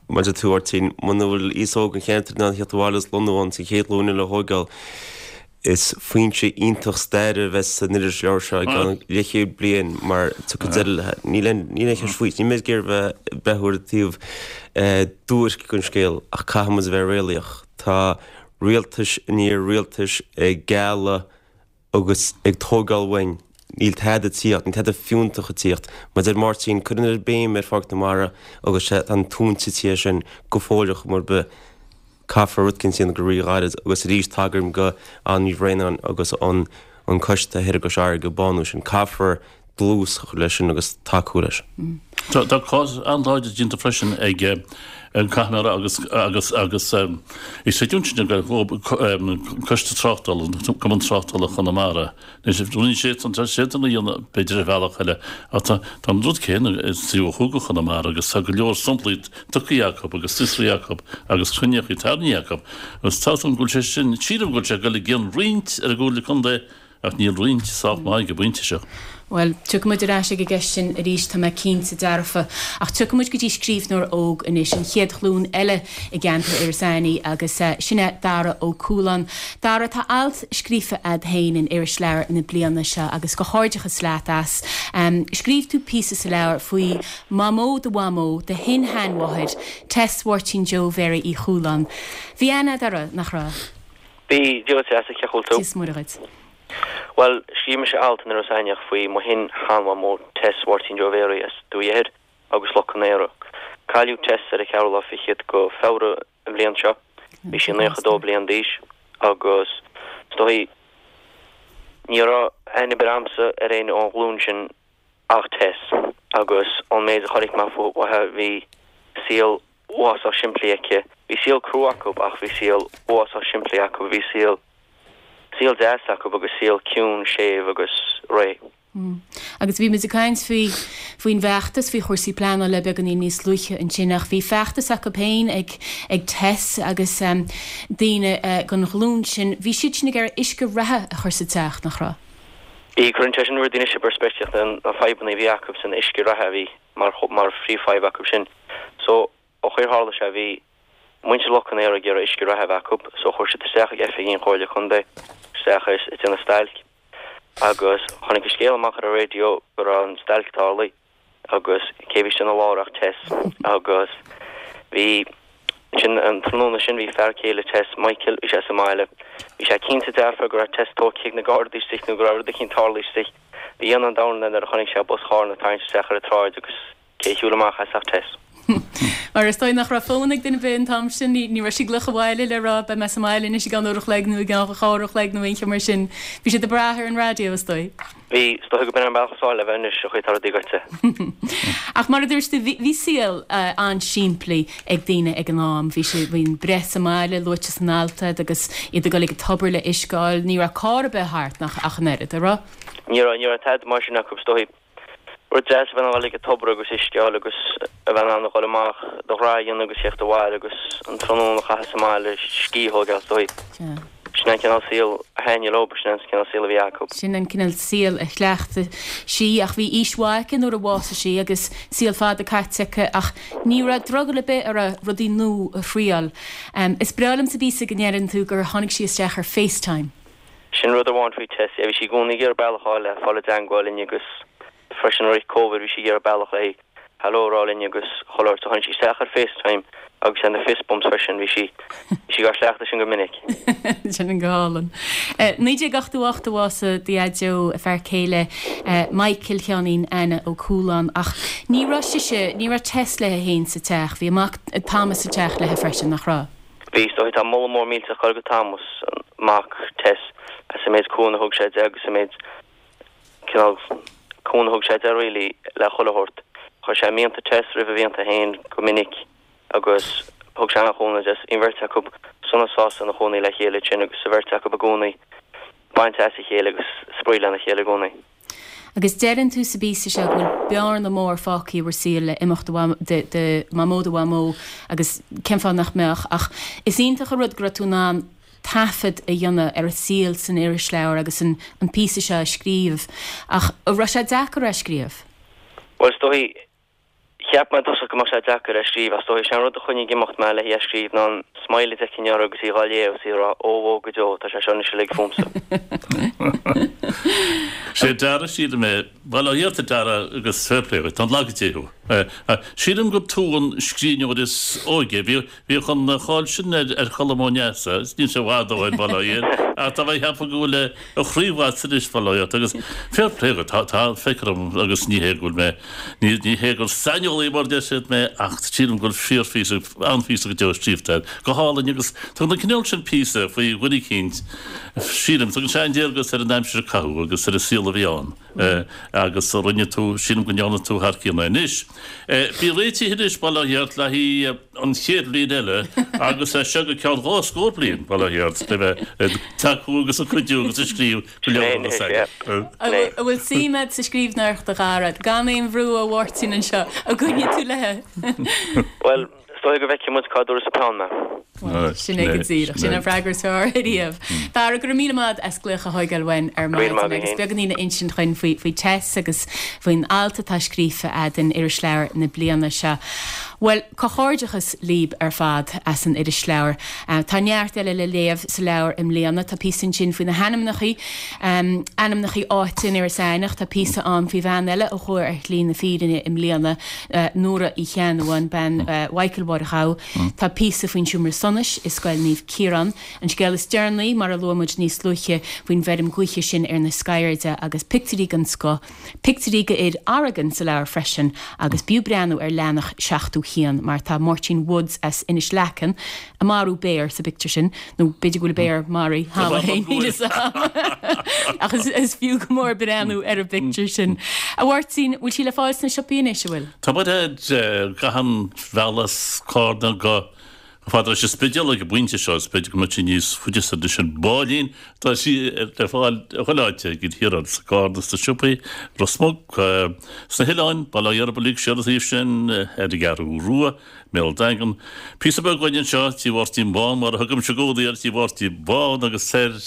Mar a deir tú, a Mháirtín, muna bhfuil aos óg an cheantair in ann theacht abhaile is lonnú ann sa chéad ghlúin eile a thóigeáil, Is foinse iontach staire a bheas san irisleabhar seo i gceann leathchéad bliain mar tiocfaidh deireadh léi. Níl aon níl aon cheist faoi. Níl mé ag iarraidh bheith ag breathnú ar an taobh duairc den scéal ach caithfidh muid a bheith réalaíoch. Tá rialtais i ndiaidh rialtais ag gealladh agus ag tógáil uainn. Níl tada ag tíocht, níl tada fiúntach ag tíocht. Mar a deir Máirtín, cuireann an oiread béim ar Pháirc na Mara agus tá an túinte tithe sin go fóill ar chuma ar bith. Caithfear rud eicínt a dhéanamh go rí-ghairid agus arís tagaim go Ann Ní Bhraonáin agus an an coiste thoir i gCois Fharraige ag bánú sin. Caithfear dlús a chur leis sin agus tacú leis. Tá cás an-láidir déanta freisin ag an caithfidh mé a rá agus agus agus is creidiúint sin go Coiste Tráchtála, Cumann Tráchtála Chonamara. Anois, rinne siad san, tá siad san a dhéanamh b'fhéidir ar bhealach eile, ach tá tá an rud céanna sa taobh ó thuaidh de Chonamara agus tá go leor samplaí tugtha acu agus fiosraithe acu agus cruinníochaí tarraingthe acu agus tá 's agam go bhfuil sé sin, sílim go bhfuil sé ag dul i gcion roinnt ar an gComhairle Contae ach níl roinnt sách maith ag an bpointe seo. Bhuel, tiocfaidh muid ar ais ag an gceist sin arís, tá mé cinnte dearfa. Ach tiocfaidh muid go dtí scríbhneoir óg anois, an chéad ghlúin eile i gceantar Iorras Aithnigh agus sin é Dara Ó Cualáin. Dara, tá alt scríofa a'd féin in Irisleabhar na bliana seo agus comhghairdeachas leat as. Scríobh tú píosa sa leabhar faoi Mhamó do mhamó, do shin-sheanmháthair, Tess Mháirtín Joe Mhéaraí Uí Chualáin. Bhí aithne a'd uirthi, nach raibh? Bhí, Dia dhuit a Threasa, cén chaoi a bhfuil tú? Dia is Muire dhuit. Bhuel, scríobh mise alt in Iorras Aithneach faoi mo shin-sheanmhamó Tess Mháirtín Joe Mhéaraí as Dumhaigh Eithir agus Loch Con Aora. Cailleadh Tess ar an cheathrú lá fichead go Feabhra an bhliain seo. Bhí sí 92 bliain d'aois agus is dóigh ní raibh aithne ar bith a'msa ar éinne ón ghlúin sin ach Tess agus ón méid a chonaic mé uaithi bhí saol uafásach simplí aici. Bhí saol crua acu ach bhí saol uafásach simplí acu. Bhí saol, saol deas acu agus saol ciúin, séimh agus réidh. Agus bhí muid ag caint faoi, faoin bhfeachtas, faoi chúrsaí pleanála beagáinín níos luaithe ansin ach bhí feachtas acu féin ag, ag Tess agus daoine den ghlúin sin, bhí siad sin ag iarraidh uisce reatha a chur sa teach, nach raibh? Bhí, cuireann sé sin rudaí anois i bpeirspictíocht na fadhbanna a bhí acu san uisce reatha a bhí mar, mar phríomhfhadhb acu sin. So, an chaoi ar tharla sé, bhí muintir Loch Con Aora ag iarraidh uisce reatha a bheith acu, so chuir siad isteach ag oifigí an Chomhairle Contae, isteach ag déanamh stailc. Agus tháinig an scéal amach ar an raidió go raibh an stailc tarlaithe agus cé bhí istigh ina lár ach Tess. Agus bhí, ansin an tráthnóna sin bhí fear céile Tess, Michael, bhí sé sa mbaile. Bhí sé cinnte dearfa go raibh Tess tógtha ag na Gardaí istigh nó go raibh rud eicínt tarlaithe istigh. Bhí ionadh an domhain air nuair a chonaic sé bus charna ag tarraingt isteach ar an tsráid agus Cé a shiúil amach as ach Tess. Mar is dóigh nach raibh fón ag duine ar bith an t-am sin, ní raibh sí ag glaoch abhaile le rá beidh mé sa mbaile anois i gceann uair a chloig nó i gceann dhá uair a chloig nó aon cheo mar sin. Bhí siad ag brath ar an raidió, is dóigh. Bhí, is dóigh go b'in an bealach is fearr le bheith anois, an chaoi atá rudaí goite. Ach mar a dúirt tú, bhí saol an-simplí ag daoine ag an am. Bhí sé, bhí an breith sa mbaile luaite san alt a'd agus iad ag dul ag an tobar le uisce a fháil. Ní raibh carr ar bith thart nach ach an oiread, a' raibh? Ní raibh, ní raibh tada mar sin acu, is dóigh. Rud deas a bheith in ann a dhul ag an tobar agus uisce a fháil agus a bheith in ann a dhul amach do ghraithe a dhéanamh agus theacht abhaile agus an tráthnóna a chaitheamh sa mbaile, scíth a thógáil is dóigh. Sin an cineál saoil a. thaitnigh leo, sin an cineál saol a bhí acu. Sin an cineál saol a chleachtaigh sí ach bhí aois mhaith aici nuair a bhásaigh sí agus saol fada caite aici ach ní raibh drogall ar bith uirthi rudaí nua a thriáil. Is breá liom sa bpíosa go ndeireann tú gur tháinig sí isteach ar FaceTime. Sin rud amháin faoi Tess, yeah, bhí sí i gcónaí ag iarraidh bealach a fháil le fáil i dteangmháil linn agus freisin i rith Covid bhí sí ag iarraidh bealach le hello a rá linn agus chuile shórt so tháinig sí isteach ar FaceTime agus ar na fist bumps freisin, bhí sí bhí sí á chleachtadh sin go minic. Sin go hálainn. 1988 a bhásaigh do dhaideo, a fear céile Michael Sheáinín Anna Ó Cualáin ach ní raibh sise, ní raibh Tess léi féin sa teach, bhí a mac Thomas sa teach léi freisin, nach raibh? Bhí, is dóigh. Tá moladh mór millteach ag dul go Thomas, mac Tess, as an méid cúnamh a thug sé di agus an méid cineál cúnamh a thug sé di really le chuile shórt. Chuir sé mianta Tess roimh a mhianta féin go minic agus thug sé an-chúnamh di. Bhí an bheirt acu sona sásta ina chónaí le chéile ansin agus an bheirt acu i gcónaí ag baint as a chéile agus spraoi lena chéile i gcónaí. Agus deireann tú sa bpíosa seo go bhfuil bearna mór fágtha i bhur saol le imeacht do Mhamó do Mhamó agus cén fáth nach mbeadh ach is iontach an rud go raibh tú in ann taifead a dhéanamh ar a saol san irisleabhar agus an píosa seo a scríobh ach an raibh sé deacair é a scríobh? Bhuel is dóigh Cheap mé i dtosach go mbeadh sé deacair é a scríobh ach is dóigh is é an rud a choinnigh ag imeacht mé le hí a scríobh ná an smile a d'fheicfinn uirthi agus í dhá léamh is í ag rá 'Ó bhó go deo, tá sé seo anois uilig fúmsa'. Sé Dara sílim é, bhuel ó thiar tá Dara agus fair play dhuit, tá an laige Dé thú. Sílim gur tú an scríbhneoir is óige, bhíodh an cháil sin ar Cholm Ó Neasa, níl sé i bhfad ó shin, bail ó Dhia air, ach tá mé ag ceapadh go bhfuil a chraobh agat anois, bail ó Dhia ort, agus fair play dhuit, tá, tá, feictear dom agus ní hé go bhfuil mé, ní, ní hé gur saineolaí mar a deir siad mé ach sílim go bhfuil fíorphíosa, an-phíosa go deo scríofa agat, go hálainn agus tugann an cineál sin píosa faoi dhuine eicínt, sílim, tugann sé an-léargas ar an aimsir a caitheadh agus ar an saol a bhí ann agus rinne tú, sílim go ndearna tú thar cionn é. Anois, bí réitithe anois, bail ó Dhia ort, le haghaidh an chéad bhliain eile agus as seo go ceann dhá scór bliain, bail ó Dhia ort, le bheith ag tacú agus ag cuidiú agus ag scríobh go leor de na An bhfuil suim agat sa scríbhneoireacht a Dhara? Gan aon bhrú ó Mháirtín anseo, an gcoinneoidh tú léi? Bhuel, is dóigh go bhfeicfidh muid cá dtabharfas an peann mé. Bhuel, sin é go díreach. Sin an freagra is fearr ariamh. Dara, go raibh míle maith agat as glaoch a thóigeáil uainn ar maidin agus beagáinín a insint dhuinn faoi faoi Tess agus faoin alt atá scríofa a'd in Irisleabhar na bliana seo. Bhuel, comhghairdeachas libh ar fad as an irisleabhar. Tá neart eile le léamh sa leabhar i mbliana. Tá píosa ansin faoi na hainmneachaí, ainmneachaí áite in Iorras Aithneach. Tá píosa ann faoi bhean eile a chuaigh ar shlí na fírinne i mbliana, Nóra Uí Cheannabháin, bean Mhichael Mháire Ghabha. Tá píosa faoin seomra sonais i Scoil Naomh Ciarán. An scéal is deireanaí, mar a luaigh muid níos luaithe, faoin bhfeirm ghaoithe sin ar na Scairdhe agus pictiúirí den scoth, pictiúirí d'fhir Oregon sa leabhar freisin agus b'fhiú breathnú ar leathanach 71 mar tá Máirtín Woods as Inis Leacan ag marú béar sa bpictiúr sin, nó b'fhéidir go bhfuil béar maraithe cheana féin, níl fhios a'm. Ach is fiú go mór breathnú ar an bpictiúr sin. A Mháirtín, bhfuil sí le fáil sna siopaí anois, an bhfuil? Tá muid ar gach bealach as Carna go fada leis an Spidéal ag an bpointe seo, is b'fhéidir go mbeidh sí níos faide soir anois an Báillín. Tá sí le fáil chuile áit ag an thiar sa gCarna sna siopaí, Ros Muc, sna hoileáin, Baile Átha Ghearbhuigh siar an taobh sin, ar an gCeathrú Rua, i mBéal Daingean. Píosa beag uainn anseo, Tí Mháirtín Bán, mar a thugaimse i gcónaí air, Tí Mháirtín Bán agus soir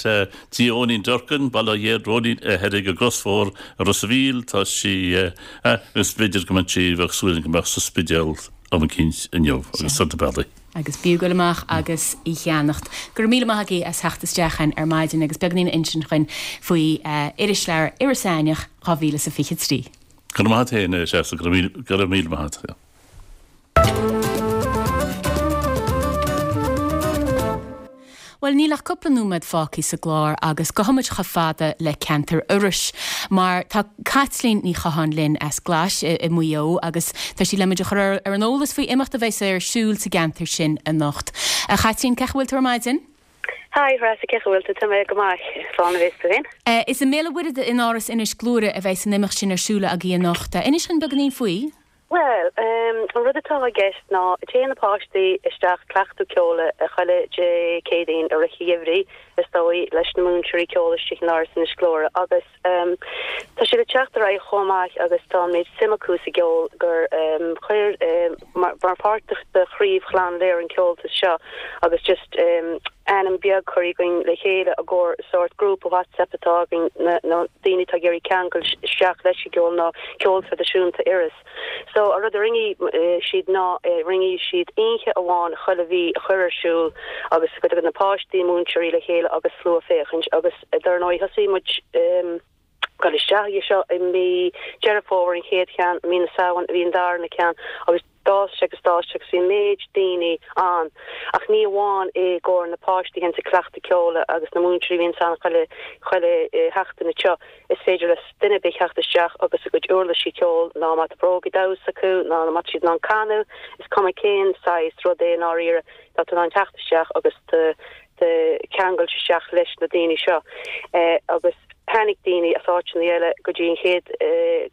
Tí Eoinín Durkin, Baile Átha Ghéar, Róinín thoir ag an gCrosbhóthar i Ros a' Mhíl, tá sí, agus b'fhéidir go mbeidh sí, bheadh súil againn go mbeadh sa Spidéal am eicínt inniu agus soir na bealaí. Agus b'fhiú goil amach agus í cheannacht. Go raibh míle maith agaibh as theacht isteach chugainn ar maidin agus beagáinín a insint dhuinn faoi Irisleabhar Iorras Aithneach 2023. Go raibh maith agat féin, a Threasa, go raibh míle maith agat. Bhuel, níl ach cúpla nóiméad fágtha sa gclár agus gabhfaidh muid chomh fada le ceantar Iorrais mar tá Caitlín Ní Chatháin linn as Glais i Maigh Eo agus tá sí le muid a chur ar an eolas faoi imeacht a bheas ar siúl sa gceantar sin anocht. A Chaitlín, cén chaoi a bhfuil tú ar maidin? Hi, Threasa, cén chaoi a bhfuil tú? Tá mé go maith, slán a bheas tú féin. Is i mbéal an Mhuirthead in Áras Inis Gluaire a bheas an imeacht sin ar siúl agaibh anocht. Inis dhúinn beagáinín faoi. Bhuel, an rud atá i gceist ná téann na páistí isteach cleachtadh ceoil chuile Dé Céadaoin i rith an gheimhridh. is dóigh, leis na múinteoirí ceoil istigh in Áras Inis Gluaire agus tá siad ag teacht ar aghaidh chomh maith agus tá an méid suim acu sa gceol gur chuir mar pháirt de Chraobh Chlann Lir an ceoltas seo agus just ainm beag curtha againn le chéile i gcomhair sórt grúpa WhatsApp atá againn na daoine atá ag iarraidh ceangal isteach leis an gceol ná ceol traidisiúnta Iorrais. So an rud a rinne siad ná rinne siad oíche amháin chuile mhí a chur ar siúl agus go dtagann na páistí, múinteoirí le chéile agus slua féachaint agus dar ndóigh thosaigh muid dul isteach aige seo i mí Deireadh Fómhair an chéad cheann, i mí na Samhain a bhí an darna ceann agus d'fhás sé agus d'fhás sé agus bhí an méid daoine ann ach ní amháin i gcomhair na páistí a bhíonns ag cleachtadh ceoil agus na múinteoirí a bhíonns ann chuile chuile sheachtain anseo is féidir le duine ar bith theacht isteach agus a gcuid uirlisí ceoil ná má tá brógaí damhsa acu ná má tá siad in ann canadh is cuma cén saghas rud é i ndáiríre tá tú in ann teacht isteach agus do do cheangal isteach leis na daoine seo agus tháinig daoine as áiteanna eile go dtí an chéad,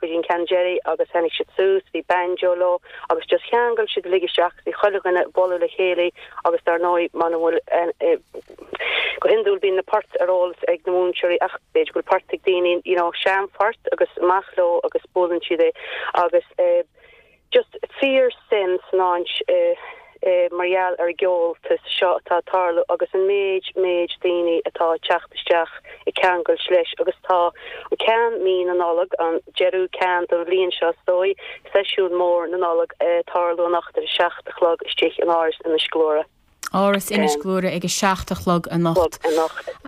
go dtí an ceann deiridh agus tháinig siad suas, bhí banjo leo agus just cheangail siad uilig isteach agus bhí chuile dhuine ag bualadh le chéile agus dar ndóigh muna bhfuil, go hiondúil bíonn na poirt ar eolas ag na múinteoirí ach b'fhéidir go bhfuil port ag daoine you know seanphort agus amach leo agus buaileann siad é agus eh. Just fíor suim san áit mar gheall ar an gceoltas seo atá ag tarlú agus an méid, méid daoine atá ag teacht isteach ag ceangailt leis agus tá an ceann mí na Nollag, an deireadh ceann don bhliain seo is dóigh, seisiún mór na Nollag ag tarlú anocht ar a 7 a chlog istigh in Áras Inis Gluaire. Áras Inis Gluaire ag a 7 a chlog anocht.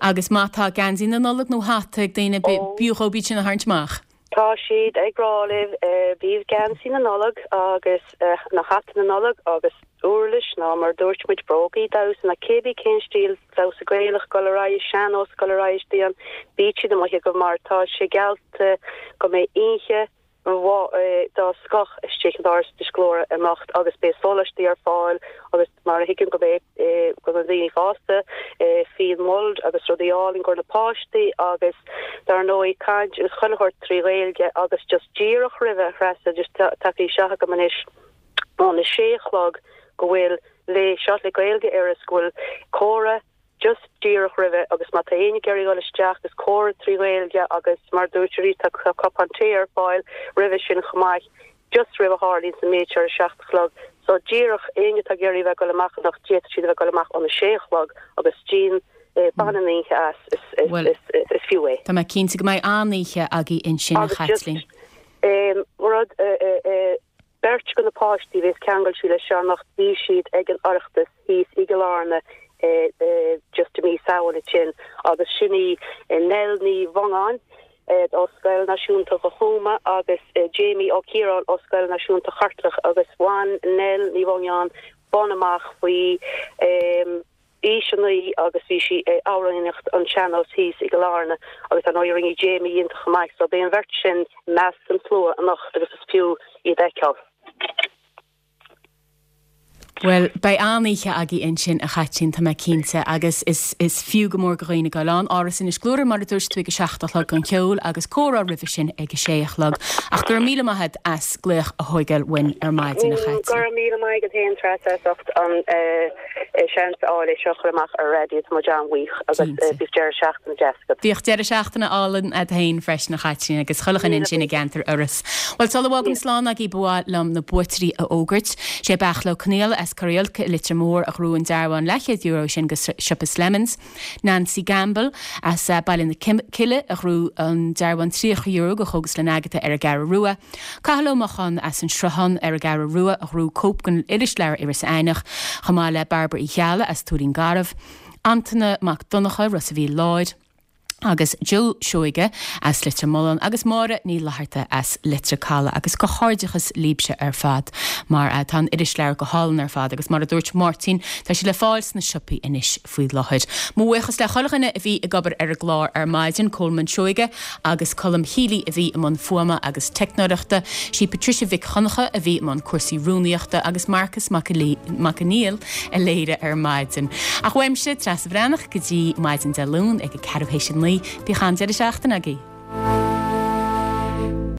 Agus má tá geansaí na Nollag nó hata ag daoine, b'fhiú dhóibh iad sin a tharraingt amach. Tá siad ag rá libh, bíodh geansaí na Nollag agus na hata na Nollag agus uirlis ná mar a dúirt muid brógaí damhsa ná cébí cén stíl damhsa Gaelach dul ar aghaidh, sean-nós dul ar aghaidh istigh ann, bíodh siad amuigh agaibh mar tá sé geallta go mbeidh oíche dá scoth istigh in Áras Inis Gluaire anocht agus beidh sóláistí ar fáil agus mar a thuigim go mbeidh do na daoine fásta, fíon mulled agus rudaí álainn i gcomhair na páistí agus dar ndóigh caint agus chuile shórt trí Ghaeilge agus just díreach roimhe a Threasa just tagtha isteach agam anois óna sé a chlog go bhfuil le seo le Gaeilge Iorrais go bhfuil comhrá just díreach roimhe agus má tá éinne ag iarraidh dul isteach is comhrá trí Ghaeilge agus mar a dúirt arís tá cupán tae ar fáil roimhe sin chomh maith just roimh a tharlaíonn an méid seo ar a 7 a chlog so díreach éinne atá ag iarraidh a bheith ag dul amach anocht d'fhéadfadh siad a bheith ag dul amach óna 6 a chlog agus déan bain an oíche as is is is fiú é. Tá mé cinnte go mbeidh an-oíche agaibh ansin a Agus just Chaitlín. rud Beirt de na páistí a bhéas ceangailte leis seo anocht bhí siad ag an Oireachtas thíos i gCill Airne just i mí Samhain ansin agus sin í Nell Ní Mhongáin ó Scoil Náisiúnta Chúma agus Jamie Ó Ciaráin ó Scoil Náisiúnta Cheartlach agus bhain Nell Ní Mhongáin bonn amach faoi aois 9 agus bhí sí ag amhránaíocht an tsean-nós thíos i gCill Airne agus dar ndóigh rinne Jamie iontach chomh maith so beidh an bheirt sin i measc an tslua anocht agus is fiú iad a fheiceáil. Bhuel, beidh an-oíche agaibh ansin, a Chaitlín, tá mé cinnte, agus is is fiú go mór do dhaoine dul ann. Áras Inis Gluaire, mar a dúirt tú, ag a 7 a chlog don cheol agus comhrá roimhe sin ag a 6 a chlog. Ach go raibh míle maith agat as glaoch a thóigeáil uainn ar maidin, a Chaitlín. Go raibh míle maith agat féin, Treasa, as ucht an seans a fháil é seo a chur amach ar an raidió. Tá muid an-bhuíoch agus bíodh deireadh seachtaine deas agat. Bíodh deireadh seachtaine álainn agat féin freisin, a Chaitlín, agus chuile dhuine ansin i gceantar Iorrais. Bhuel, sula bhfágaim slán agaibh, ba mhaith liom na buaiteoirí a fhógairt. Sé Beairtle Ó Conaola as Corr Iolca i Leitir Móir a ghnóthaigh an dearbhán leathchéad euro sin go siopa Slemons. Nancy Gamble as Baile na Cille a ghnóthaigh an dearbhán €30 go Chógaslann Agatha ar an gCeathrú Rua. Cathal Ó Mocháin as an Sruthán ar an gCeathrú Rua a ghnóthaigh cóip den irisleabhar Iris Aithneach, chomh maith le Bairbre Uí Cheallaigh as Tuairín Garbh, Antaine Mac Donncha, Ros a' Mhíl Láir, agus Joe Seoige as Leitir Mealláin agus Máire Ní Fhlatharta as Leitir Caladh agus comhghairdeachas libhse ar fad mar tá an irisleabhar go hálainn ar fad agus mar a dúirt Máirtín tá sé le fáil sna siopaí anois faoi láthair. Mo bhuíochas le chuile dhuine a bhí ag obair ar an gclár ar maidin, Colman Seoige agus Colm Healy a bhí i mbun fuaime agus teicneoireachta, sí Patricia Mhic Dhonncha a bhí i mbun cúrsaí rúnaíochta agus Marcus Mac Conghail a léirigh ar maidin. Ach uaimse, Treasa Bhreathnach, go dtí maidin Dé Luain ag a ceathrú théis a 9, bíodh an-deireadh seachtaine agaibh!